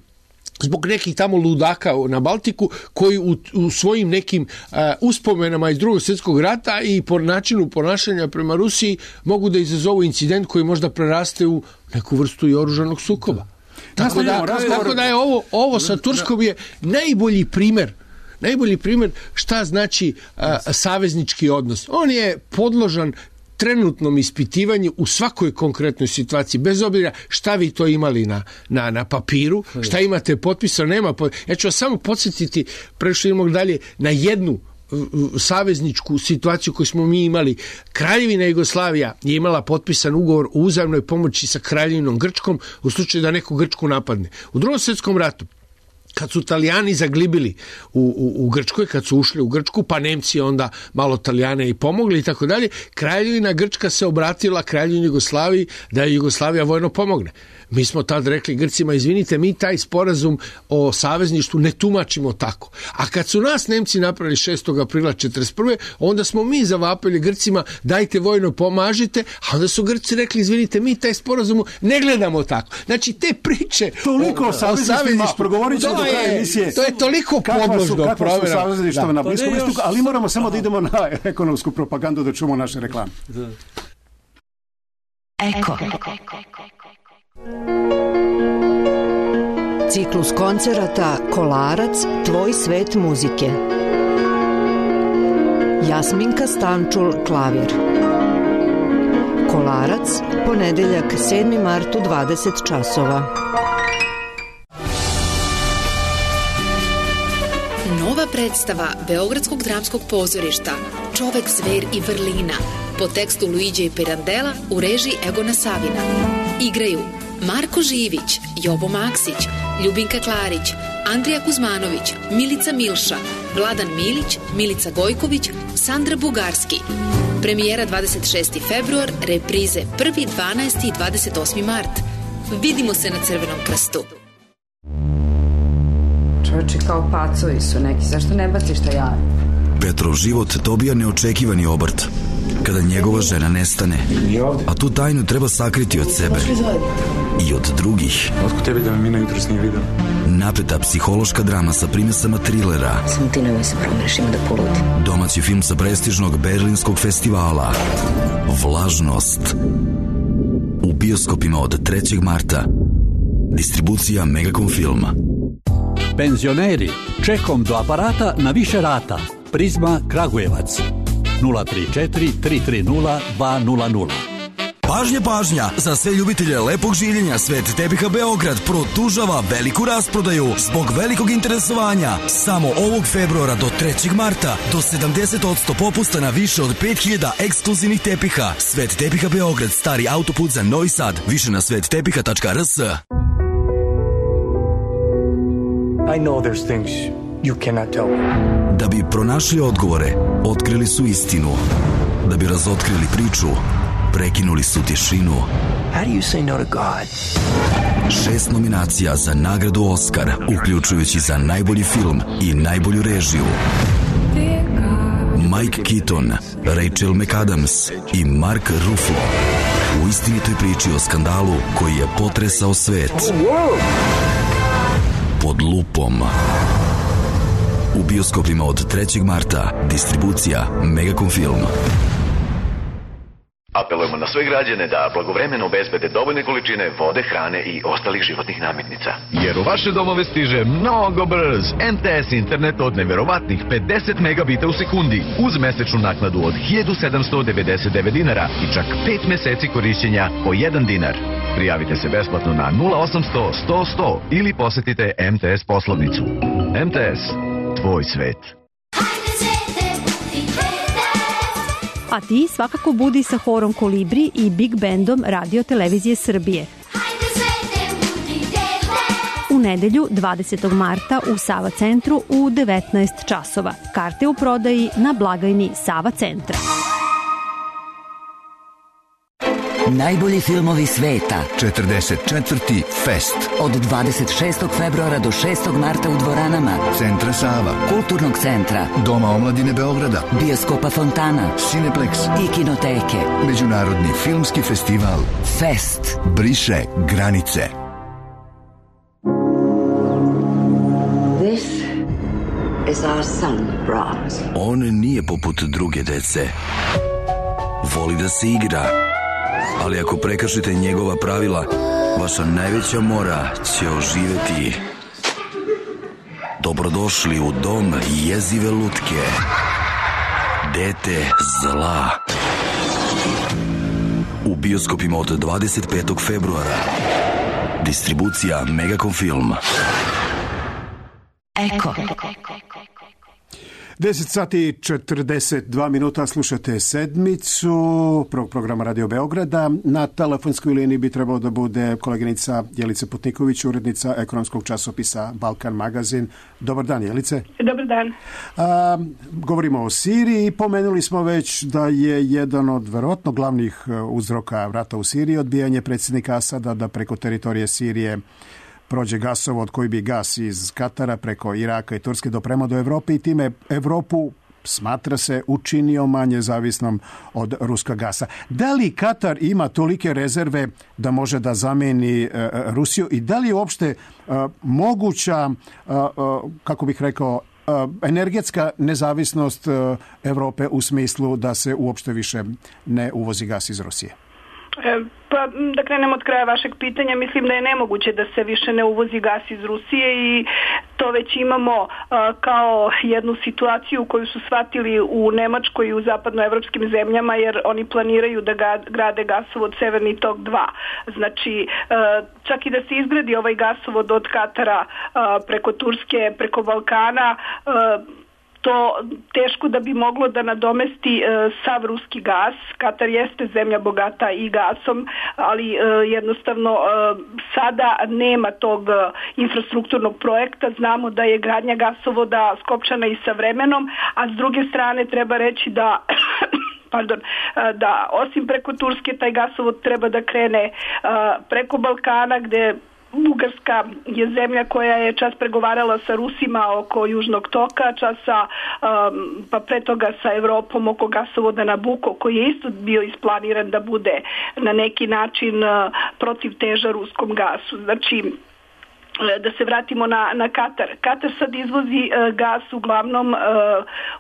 zbog nekih tamo ludaka na Baltiku koji u, u svojim nekim uh, uspomenama iz drugog svjetskog rata i po načinu ponašanja prema Rusiji mogu da izazovu incident koji možda preraste u neku vrstu i oružanog sukoba. Tako da, tako da je ovo, ovo sa Turskom je najbolji primjer, najbolji primjer šta znači a, saveznički odnos. On je podložan trenutnom ispitivanju u svakoj konkretnoj situaciji, bez obzira šta vi to imali na, na, na papiru, šta imate potpisano, nema potpisano. Ja ću vas samo podsjetiti, pre što idemo dalje, na jednu savezničku situaciju koju smo mi imali. Kraljevina Jugoslavija je imala potpisan ugovor o uzajamnoj pomoći sa Kraljevinom Grčkom u slučaju da neko Grčku napadne. U Drugom svjetskom ratu, kad su Italijani zaglibili u, u, u Grčkoj, kad su ušli u Grčku, pa Nemci onda malo Italijane i pomogli i tako dalje, Kraljevina Grčka se obratila Kraljevini Jugoslaviji da je Jugoslavija vojno pomogne. Mi smo tad rekli Grcima, izvinite, mi taj sporazum o savezništvu ne tumačimo tako. A kad su nas Nemci napravili šestog aprila četrdeset prve onda smo mi zavapili Grcima, dajte vojno pomažite, a onda su Grci rekli, izvinite, mi taj sporazum ne gledamo tako. Znači, te priče toliko o, o savezništvima, progovorit ćemo do kraja emisije. To je toliko podložno provjera. Kakva su savezništva na Bliskom istoku, ali moramo samo da idemo na ekonomsku propagandu da čujemo naše reklame. Eko. Ciklus koncerata Kolarac, tvoj svet muzike. Jasminka Stančul, klavir. Kolarac, ponedeljak sedmi mart u dvadeset časova. Nova predstava Beogradskog dramskog pozorišta Čovek, zver i vrlina po tekstu Luiđe Pirandela u režiji Egona Savina. Igraju Marko Živić, Jobo Maksić, Ljubinka Klarić, Andrija Kuzmanović, Milica Milša, Vladan Milić, Milica Gojković, Sandra Bugarski. Premijera dvadeset šesti februar, reprize prvi, dvanaesti i dvadeset osmi mart. Vidimo se na Crvenom krstu. Čovječe, kao pacovi su neki, zašto ne baciš taj jaje? Petrov život dobija neočekivani obrt kada njegova žena nestane, a tu tajnu treba sakriti od sebe i od drugih. Otko tebi da me Mina jutros nije vidio? Napeta psihološka drama sa primesama trilera. Samo ti nemoj se promeniš, ima da poludim. Domaći film sa prestižnog berlinskog festivala Vlažnost. U bioskopima od trećeg marta. Distribucija Megacom Filma. Penzioneri, čekom do aparata na više rata. Prizma Kragujevac. nula tri četiri tri tri nula dva nula nula. Pažnja, pažnja! Za sve ljubitelje lepog življenja Svet tepiha Beograd produžava veliku rasprodaju zbog velikog interesovanja. Samo ovog februara do trećeg marta do sedamdeset posto popusta na više od pet hiljada ekskluzivnih tepiha. Svet tepiha Beograd, stari autoput za Novi Sad. Više na svet tepiha tačka r s. I know there's things you cannot tell me. Da bi pronašli odgovore, otkrili su istinu. Da bi razotkrili priču, prekinuli su tišinu. How do you say no to God? Šest nominacija za nagradu Oskar, uključujući za najbolji film i najbolju režiju. Mike Keaton, Rachel McAdams i Mark Ruffalo u istinitoj priči o skandalu koji je potresao svet. Pod lupom. U bioskopima od trećeg marta. Distribucija Megacom Film. Apelujemo na sve građane da blagovremeno obezbede dovoljne količine vode, hrane i ostalih životnih namirnica. Jer u vaše domove stiže mnogo brz em te es internet od neverovatnih pedeset megabita u sekundi uz mesečnu naknadu od hiljadu sedamsto devedeset devet dinara i čak pet meseci korišćenja po jedan dinar. Prijavite se besplatno na nula osamsto sto sto ili posetite em te es poslovnicu. em te es, tvoj svet. A ti svakako budi sa horom Kolibri i Big Bandom Radio Televizije Srbije. U nedelju dvadesetog marta u Sava centru u devetnaest časova. Karte u prodaji na blagajni Sava centra. Najbolji filmovi sveta. četrdeset četvrti Fest. Od dvadeset šestog februara do šestog marta u dvoranama Centra Sava, Kulturnog centra, Doma omladine Beograda, Bioskopa Fontana, Cineplex i Kinoteke. Međunarodni filmski festival Fest briše granice. This is our son, Brahms. On nije poput druge dece. Voli da se igra. Ali ako prekršite njegova pravila, vaša najveća mora će oživeti. Dobrodošli u dom jezive lutke. Dete zla. U bioskopima od dvadeset petog februara. Distribucija Megacom Film. Eko. deset sati četrdeset dva minuta, slušate sedmicu prvog programa Radio Beograda. Na telefonskoj liniji bi trebalo da bude koleginica Jelica Putniković, urednica ekonomskog časopisa Balkan Magazin. Dobar dan, Jelice. Dobar dan. A, govorimo o Siriji. Pomenuli smo već da je jedan od verovatno glavnih uzroka rata u Siriji odbijanje predsjednika Asada da preko teritorije Sirije prođe gasovod koji bi gas iz Katara preko Iraka i Turske dopremao do Evrope i time Evropu, smatra se, učinio manje zavisnom od ruskog gasa. Da li Katar ima tolike rezerve da može da zameni uh, Rusiju i da li je uopšte uh, moguća, uh, uh, kako bih rekao, uh, energetska nezavisnost uh, Evrope u smislu da se uopšte više ne uvozi gas iz Rusije? Pa da krenemo od kraja vašeg pitanja, mislim da je nemoguće da se više ne uvozi gas iz Rusije i to već imamo uh, kao jednu situaciju koju su shvatili u Nemačkoj i u zapadnoevropskim zemljama, jer oni planiraju da ga, grade gasovod Severni tok dva. Znači, uh, čak i da se izgradi ovaj gasovod od Katara uh, preko Turske, preko Balkana, uh, to teško da bi moglo da nadomesti e, sav ruski gas. Katar jeste zemlja bogata i gasom, ali e, jednostavno e, sada nema tog e, infrastrukturnog projekta. Znamo da je gradnja gasovoda skopčana i sa vremenom, a s druge strane treba reći da pardon, da osim preko Turske taj gasovod treba da krene e, preko Balkana, gde Bugarska je zemlja koja je čas pregovarala sa Rusima oko Južnog toka, čas sa, um, pa pre toga sa Evropom oko gasovoda Nabucco, koji je isto bio isplaniran da bude na neki način uh, protiv teža ruskom gasu. Znači, da se vratimo na, na Katar. Katar sad izvozi uh, gas uglavnom uh,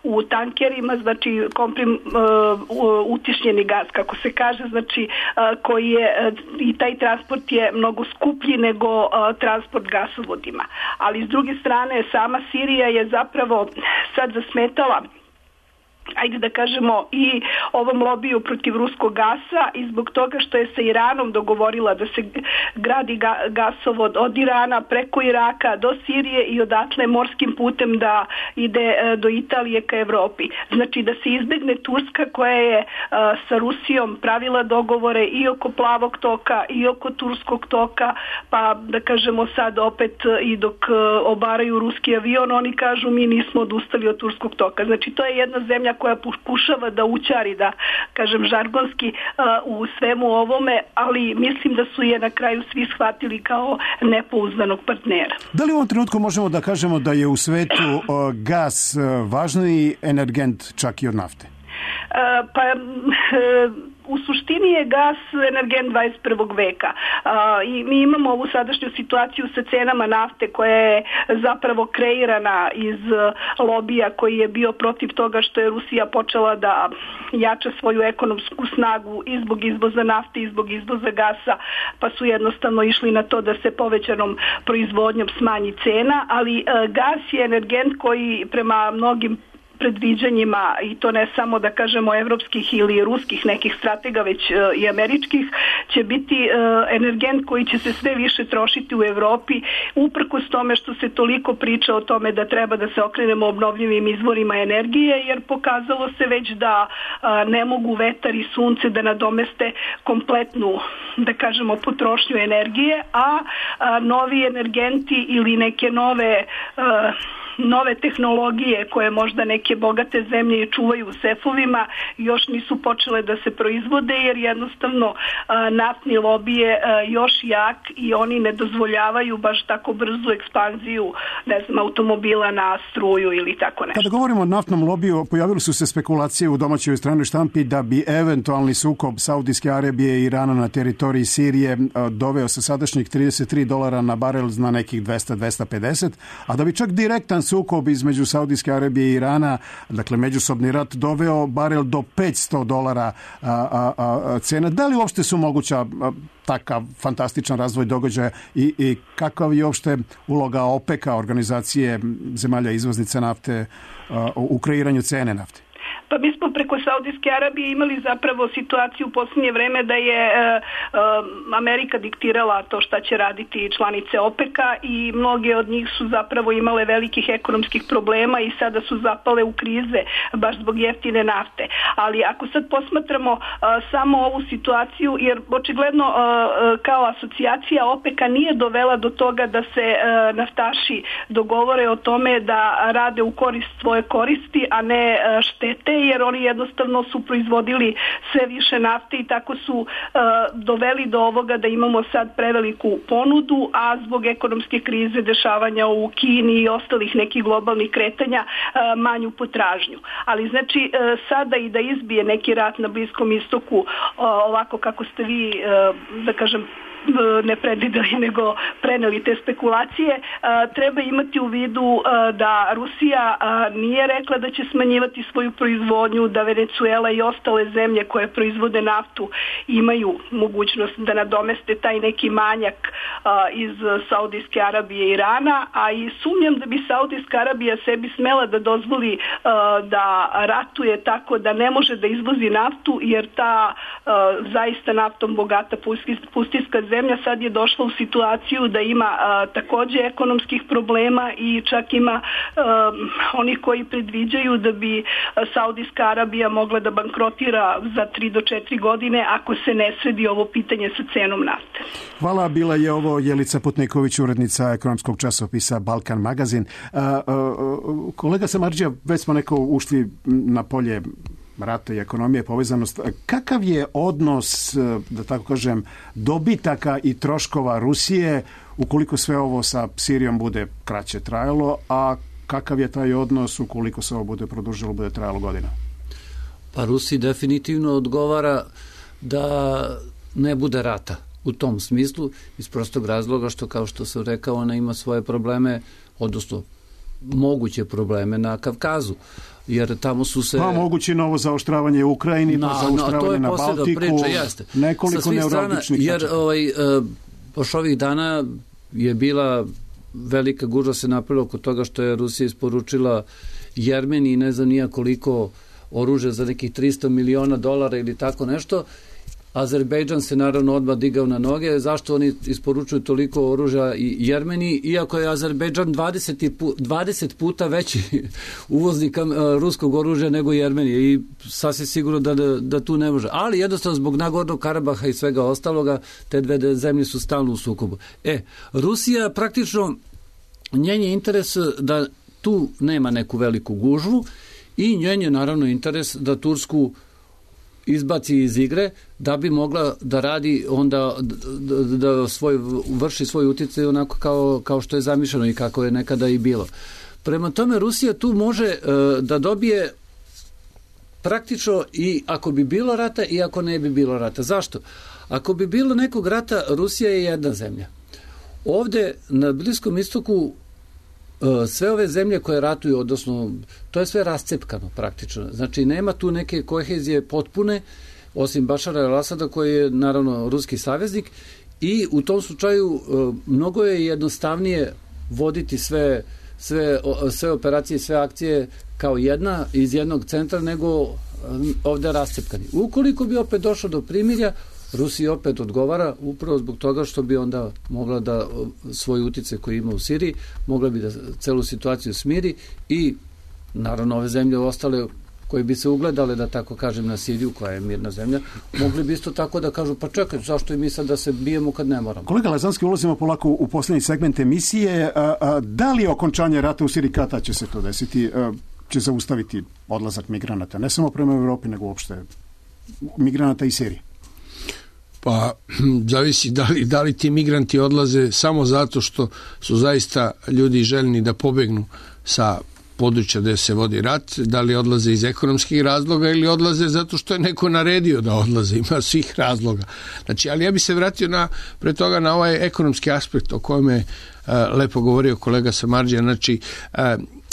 u tankerima, znači komprim, uh, utišnjeni gas, kako se kaže, znači uh, koji je, uh, i taj transport je mnogo skuplji nego uh, transport gasovodima. Ali s druge strane, sama Sirija je zapravo sad zasmetala, ajde da kažemo, i ovom lobiju protiv ruskog gasa, i zbog toga što je sa Iranom dogovorila da se gradi ga, gasovod od Irana preko Iraka do Sirije i odatle morskim putem da ide e, do Italije ka Evropi. Znači da se izbegne Turska koja je e, sa Rusijom pravila dogovore i oko Plavog toka i oko Turskog toka, pa da kažemo sad opet i dok e, obaraju ruski avion, oni kažu mi nismo odustali od Turskog toka. Znači to je jedna zemlja koja pokušava da učari, da kažem žargonski, u svemu ovome, ali mislim da su je na kraju svi shvatili kao nepouzdanog partnera. Da li u ovom trenutku možemo da kažemo da je u svetu gas važniji energent čak i od nafte? Pa u suštini je gas energent dvadeset prvog veka a, i mi imamo ovu sadašnju situaciju sa cenama nafte koja je zapravo kreirana iz lobija koji je bio protiv toga što je Rusija počela da jača svoju ekonomsku snagu i zbog izvoza nafte i zbog izvoza gasa, pa su jednostavno išli na to da se povećanom proizvodnjom smanji cena, ali a, gas je energent koji prema mnogim predviđanjima, i to ne samo da kažemo evropskih ili ruskih nekih stratega, već uh, i američkih, će biti uh, energent koji će se sve više trošiti u Evropi, uprkos tome što se toliko priča o tome da treba da se okrenemo obnovljivim izvorima energije, jer pokazalo se već da uh, ne mogu vetar i sunce da nadomeste kompletnu, da kažemo, potrošnju energije, a uh, novi energenti ili neke nove uh, nove tehnologije koje možda neke bogate zemlje i čuvaju u sefovima još nisu počele da se proizvode, jer jednostavno a, naftni lobij je a, još jak i oni ne dozvoljavaju baš tako brzu ekspanziju, ne znam, automobila na struju ili tako nešto. Kada govorimo o naftnom lobiju, pojavili su se spekulacije u domaćoj stranoj štampi da bi eventualni sukob Saudijske Arabije i Irana na teritoriji Sirije a, doveo sa sadašnjih trideset tri dolara na barel na nekih dvesta do dvesta pedeset, a da bi čak direktan sukob između Saudijske Arabije i Irana, dakle međusobni rat, doveo barel do petsto dolara a, a, a, cena. Da li uopšte su moguća a, takav fantastičan razvoj događaja i, i kakav je uopšte uloga OPEC-a, organizacije zemalja izvoznice nafte, a, u kreiranju cene nafte? Pa mi smo preko Saudijske Arabije imali zapravo situaciju u posljednje vreme da je e, e, Amerika diktirala to šta će raditi članice OPEC-a i mnoge od njih su zapravo imale velikih ekonomskih problema i sada su zapale u krize baš zbog jeftine nafte. Ali ako sad posmatramo e, samo ovu situaciju, jer očigledno e, kao asocijacija OPEC-a nije dovela do toga da se e, naftaši dogovore o tome da rade u korist svoje koristi, a ne e, štete, jer oni jednostavno su proizvodili sve više nafte i tako su uh, doveli do ovoga da imamo sad preveliku ponudu, a zbog ekonomske krize, dešavanja u Kini i ostalih nekih globalnih kretanja uh, manju potražnju. Ali znači uh, sada i da izbije neki rat na Bliskom istoku uh, ovako kako ste vi, uh, da kažem, ne predvideli nego preneli te spekulacije, treba imati u vidu da Rusija nije rekla da će smanjivati svoju proizvodnju, da Venezuela i ostale zemlje koje proizvode naftu imaju mogućnost da nadomeste taj neki manjak iz Saudijske Arabije i Irana, a i sumnjam da bi Saudijska Arabija sebi smela da dozvoli da ratuje tako da ne može da izvozi naftu, jer ta zaista naftom bogata pustinska zemlja sad je došla u situaciju da ima a, takođe ekonomskih problema i čak ima a, onih koji predviđaju da bi Saudijska Arabija mogla da bankrotira za tri do četiri godine ako se ne sredi ovo pitanje sa cenom nafte. Hvala, bila je ovo Jelica Putniković, urednica ekonomskog časopisa Balkan magazin. A, a, kolega Samardžija, već smo neko ušli na polje rata i ekonomije, povezanost. Kakav je odnos, da tako kažem, dobitaka i troškova Rusije ukoliko sve ovo sa Sirijom bude kraće trajalo, a kakav je taj odnos ukoliko se ovo bude produžilo, bude trajalo godina? Pa Rusiji definitivno odgovara da ne bude rata u tom smislu, iz prostog razloga što, kao što sam rekao, ona ima svoje probleme, odnosno moguće probleme na Kavkazu, jer tamo su se... Pa moguće novo zaoštravanje u Ukrajini, na, pa zaoštravanje na, na Baltiku, priča, jeste. Nekoliko neuralgičnih tačaka. Jer ovaj, poš ovih dana je bila velika gužva se napravila oko toga što je Rusija isporučila Jermeniji ne znam nija koliko oružja za nekih tristo miliona dolara ili tako nešto. Azerbejdžan se naravno odmah digao na noge. Zašto oni isporučuju toliko oružja i Jermeniji, iako je Azerbejdžan dvadeset puta veći uvoznik ruskog oružja nego Jermenije i sasvim sigurno da, da, da tu ne može. Ali jednostavno zbog Nagornog Karabaha i svega ostaloga te dve zemlje su stalno u sukobu. E, Rusija praktično njen je interes da tu nema neku veliku gužvu i njen je naravno interes da Tursku izbaci iz igre da bi mogla da radi onda da, da svoj, vrši svoj utjecaj onako kao, kao što je zamišljeno i kako je nekada i bilo. Prema tome Rusija tu može uh, da dobije praktično i ako bi bilo rata i ako ne bi bilo rata. Zašto? Ako bi bilo nekog rata, Rusija je jedna zemlja. Ovde na Bliskom istoku sve ove zemlje koje ratuju, odnosno to je sve rascepkano praktično. Znači nema tu neke kohezije potpune, osim Bašara el-Asada koji je naravno ruski saveznik i u tom slučaju mnogo je jednostavnije voditi sve, sve, sve operacije, sve akcije kao jedna iz jednog centra nego ovde rascepkani. Ukoliko bi opet došlo do primirja, Rusija opet odgovara upravo zbog toga što bi onda mogla da svoj utjecaj koji ima u Siriji, mogla bi da celu situaciju smiri i naravno ove zemlje ostale koje bi se ugledale, da tako kažem, na Siriju, koja je mirna zemlja, mogli bi isto tako da kažu, pa čekaj, zašto i mi sad da se bijemo kad ne moramo. Kolega Lazanski, ulazimo polako u poslednji segment emisije. A, a, da li okončanje rata u Siriji, kada će se to desiti, a, će zaustaviti odlazak migranata, ne samo prema Evropi, nego uopšte migranata iz Sirije? Pa zavisi da li, da li ti migranti odlaze samo zato što su zaista ljudi željni da pobegnu sa područja gde se vodi rat, da li odlaze iz ekonomskih razloga ili odlaze zato što je neko naredio da odlaze, ima svih razloga. Znači, ali ja bi se vratio na, pre toga na ovaj ekonomski aspekt o kojem je uh, lepo govorio kolega Samardžija. Znači, uh,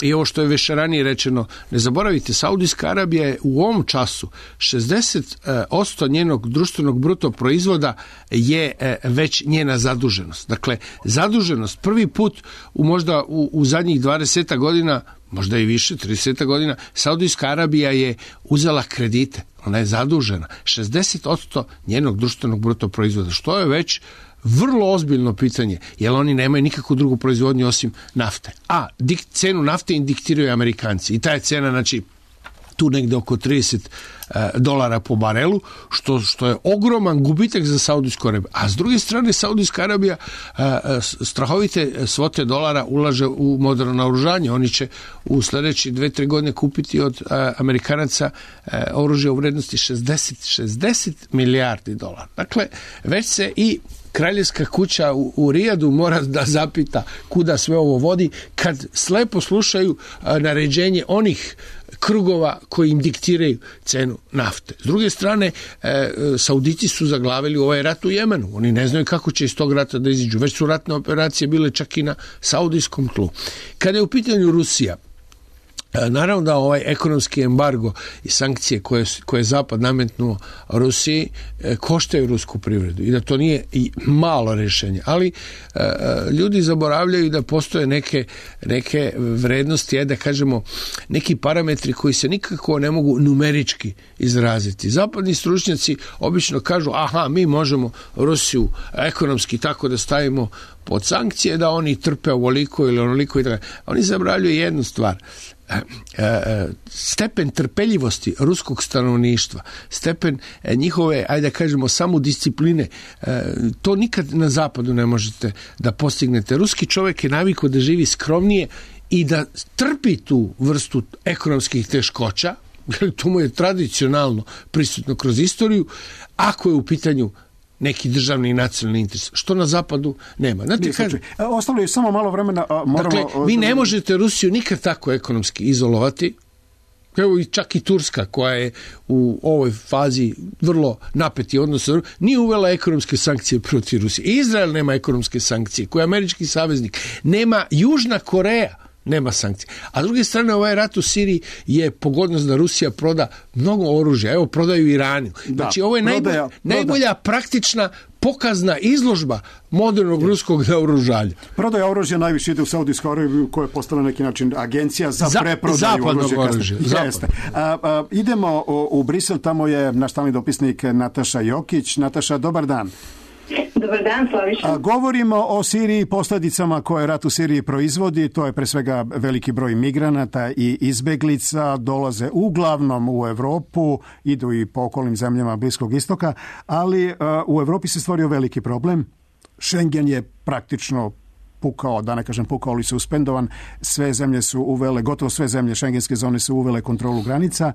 i ovo što je već ranije rečeno, ne zaboravite, Saudijska Arabija je u ovom času šezdeset posto njenog društvenog bruto proizvoda je već njena zaduženost. Dakle, zaduženost prvi put u možda u, u zadnjih dvadeset godina, možda i više, trideset godina, Saudijska Arabija je uzela kredite. Ona je zadužena. šezdeset posto njenog društvenog bruto proizvoda, što je već vrlo ozbiljno pitanje, jer oni nemaju nikakvu drugu proizvodnju osim nafte. A dik, cenu nafte im diktiraju Amerikanci. I ta je cena, znači, tu negde oko trideset dolara po barelu, što, što je ogroman gubitak za Saudijsku Arabiju. A s druge strane, Saudijska Arabija strahovite svote dolara ulaže u moderno naoružanje. Oni će u sledeći dve, tri godine kupiti od Amerikanaca oružje u vrednosti šezdeset, šezdeset milijardi dolara. Dakle, već se i kraljevska kuća u, u Rijadu mora da zapita kuda sve ovo vodi kad slepo slušaju a, naređenje onih krugova koji im diktiraju cenu nafte. S druge strane, e, Saudici su zaglavili u ovaj rat u Jemenu. Oni ne znaju kako će iz tog rata da iziđu. Već su ratne operacije bile čak i na saudijskom tlu. Kada je u pitanju Rusija, naravno da ovaj ekonomski embargo i sankcije koje, koje je Zapad nametnuo Rusiji koštaju rusku privredu i da to nije i malo rješenje, ali e, ljudi zaboravljaju da postoje neke, neke vrednosti, je da kažemo neki parametri koji se nikako ne mogu numerički izraziti. Zapadni stručnjaci obično kažu, aha, mi možemo Rusiju ekonomski tako da stavimo pod sankcije, da oni trpe ovoliko ili onoliko i tako. Oni zaboravljaju jednu stvar. Stepen trpeljivosti ruskog stanovništva, stepen njihove, ajde da kažemo, samodiscipline, to nikad na zapadu ne možete da postignete. Ruski čovjek je navikao da živi skromnije i da trpi tu vrstu ekonomskih teškoća, To mu je tradicionalno prisutno kroz istoriju, ako je u pitanju neki državni i nacionalni interes, što na zapadu nema. Znate, kažem, ostalo je samo malo vremena. Moramo... Dakle, vi ne možete Rusiju nikad tako ekonomski izolovati. Evo i čak i Turska, koja je u ovoj fazi vrlo napeti odnos, nije uvela ekonomske sankcije protiv Rusije. Izrael nema ekonomske sankcije, koji je američki saveznik. Nema Južna Koreja, nema sankcije. A s druge strane, ovaj rat u Siriji je pogodnost da Rusija proda mnogo oružja. Evo, prodaju Iranu. Da, znači, ovo je prodaja, najbolja, prodaja. najbolja praktična pokazna izložba modernog ruskog naoružanja. Prodaja oružja najviše ide u Saudijsku Arabiju, koja je postala neki način agencija za, za preprodaju oružja. oružja. Jeste. A, a, idemo u, u Brisel, tamo je naš stalni dopisnik Nataša Jokić. Nataša, dobar dan. Dobar dan, Slaviša. Govorimo o Siriji, posljedicama koje rat u Siriji proizvodi. To je pre svega veliki broj migranata i izbeglica. Dolaze uglavnom u Evropu, idu i po okolnim zemljama Bliskog istoka, ali uh, u Evropi se stvorio veliki problem. Schengen je praktično pukao, da ne kažem pukao, ali suspendovan. Sve zemlje su uvele, gotovo sve zemlje šengenske zone su uvele kontrolu granica.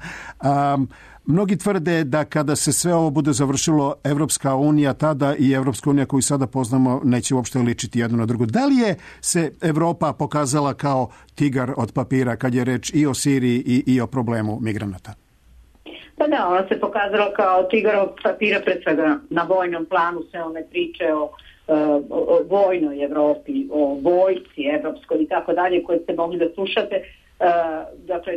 Um, Mnogi tvrde da kada se sve ovo bude završilo, Evropska unija tada i Evropska unija koju sada poznamo neće uopšte ličiti jedno na drugo. Da li je se Evropa pokazala kao tigar od papira kad je reč i o Siriji i, i o problemu migranata? Pa da, ona se pokazala kao tigar od papira, pred svega na vojnom planu se one priče o, o, o vojnoj Evropi, o vojci evropskoj i tako dalje koje ste mogli da slušate. Uh, dakle,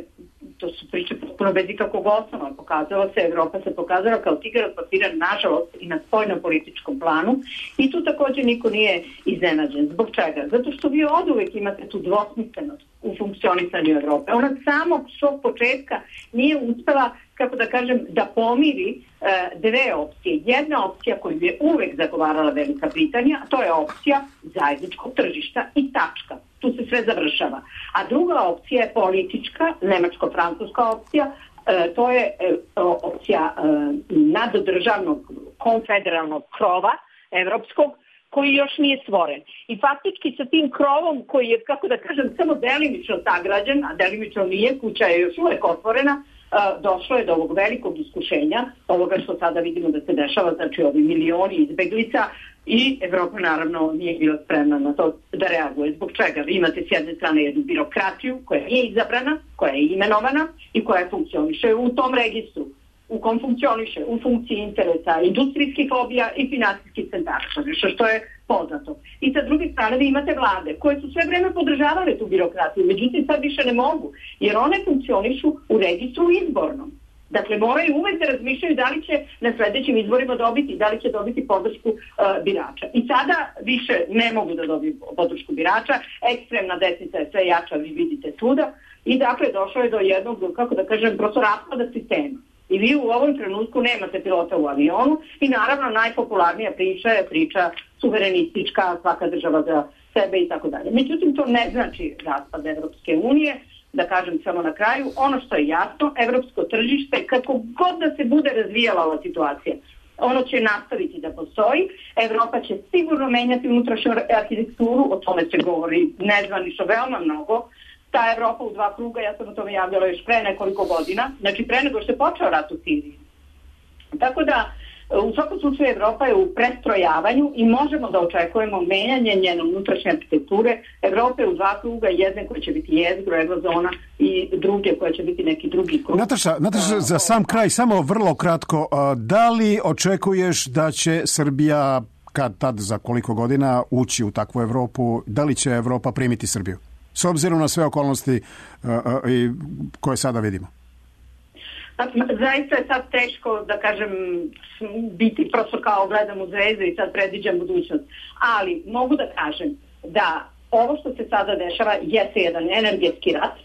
to su priče potpuno bez ikakvog osnova. Pokazalo se, Evropa se pokazala kao tigar od papira, nažalost, i na spoljno-političkom planu, i tu također niko nije iznenađen. Zbog čega? Zato što vi od uvek imate tu dvosmislenost u funkcionisanju Evrope. Ona samog svog početka nije uspela, kako da kažem, da pomiri uh, dve opcije. Jedna opcija koju je uvek zagovarala Velika Britanija, a to je opcija zajedničkog tržišta i tačka. Tu se sve završava. A druga opcija je politička, nemačko-francuska opcija, e, to je e, opcija e, nadodržavnog konfederalnog krova evropskog, koji još nije stvoren. I faktički sa tim krovom koji je, kako da kažem, samo delimično sagrađen, a delimično nije, kuća je još uvek otvorena, Uh, došlo je do ovog velikog iskušenja, ovoga što sada vidimo da se dešava, znači ovi milioni izbeglica, i Evropa naravno nije bila spremna na to da reaguje. Zbog čega? Vi imate s jedne strane jednu birokratiju koja nije izabrana, koja je imenovana i koja funkcioniše u tom registru, u kom funkcioniše u funkciji interesa industrijskih lobija i finansijskih centara, nešto što je poznato. I sa druge strane vi imate vlade koje su sve vreme podržavale tu birokratiju, međutim sad više ne mogu, jer one funkcionišu u registru izbornom. Dakle, moraju uvek da razmišljaju da li će na sledećim izborima dobiti, da li će dobiti podršku uh, birača. I sada više ne mogu da dobiju podršku birača, ekstremna desnica je sve jača, vi vidite tuda, i dakle došlo je do jednog, kako da kažem, prosto raspada sistema. I vi u ovom trenutku nemate pilota u avionu i naravno najpopularnija priča je priča suverenistička, svaka država za sebe i tako dalje. Međutim, to ne znači raspad Evropske unije. Da kažem samo na kraju, ono što je jasno, evropsko tržište, kako god da se bude razvijala ova situacija, ono će nastaviti da postoji. Evropa će sigurno menjati unutrašnju arhitekturu, o tome se govori nezvanično veoma mnogo. Ta Evropa u dva kruga, ja sam o tome javljala još pre nekoliko godina, znači pre nego što je počeo rat u Siriji. Tako da, u svakom slučaju Evropa je u prestrojavanju i možemo da očekujemo menjanje njene unutrašnje arhitekture. Evropa je u dva kruga, jedne koje će biti jezgro, eurozona, i druge koje će biti neki drugi krug. Nataša, Nataša, za sam kraj, samo vrlo kratko, da li očekuješ da će Srbija, kad tad za koliko godina, ući u takvu Evropu, da li će Evropa primiti Srbiju? S obzirom na sve okolnosti uh, uh, i koje sada vidimo. Zaista je sad teško, da kažem, biti prosto kao gledam u zvezdu i sad predviđam budućnost. Ali mogu da kažem da ovo što se sada dešava jeste jedan energetski rat.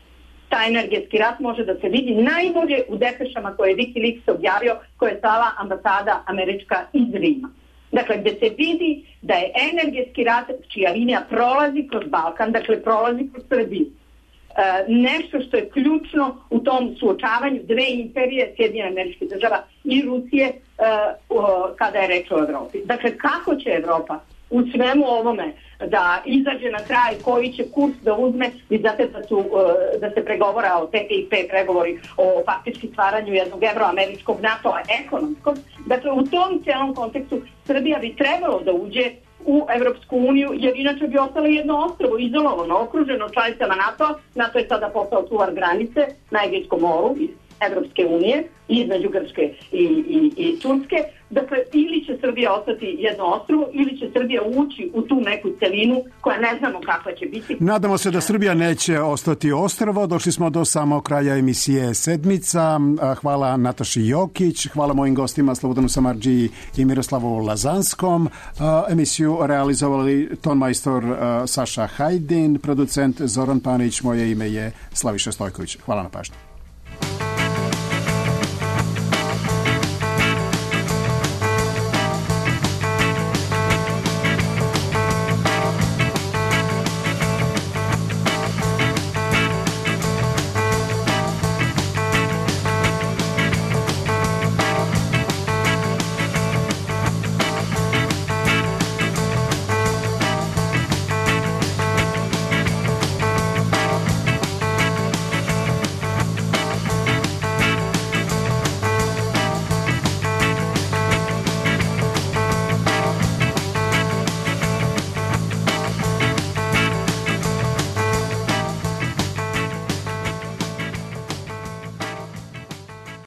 Taj energetski rat može da se vidi najbolje u depešama koje je Wikileaks objavio, koje je stala ambasada američka iz Rima. Dakle, gde se vidi da je energetski rat čija linija prolazi kroz Balkan, dakle prolazi kroz Srbiju. E, nešto što je ključno u tom suočavanju dve imperije, Sjedinjenih Američkih Država i Rusije, e, o, kada je reč o Evropi. Dakle, kako će Evropa u svemu ovome da izađe na kraj, koji će kurs da uzme. Vi znate da, su, da se pregovora o T T I P, pregovori o faktički stvaranju jednog evroameričkog NATO-a ekonomskog. Dakle, u tom celom kontekstu Srbija bi trebalo da uđe u Evropsku uniju, jer inače bi ostalo jedno ostrvo, izolovano, okruženo članicama NATO-a. NATO je sada postao čuvar granice na Egejskom moru iz Evropske unije, između Grčke i, i, i Turske. Dakle, ili će Srbija ostati jedno ostrvo, ili će Srbija ući u tu neku celinu koja ne znamo kakva će biti. Nadamo se da Srbija neće ostati ostrvo. Došli smo do samog kraja emisije Sedmica. Hvala Nataši Jokić, hvala mojim gostima Slobodanu Samardžiji i Miroslavu Lazanskom. Emisiju realizovali tonmajstor Saša Hajdin, producent Zoran Panić, moje ime je Slaviša Stojković. Hvala na pažnju.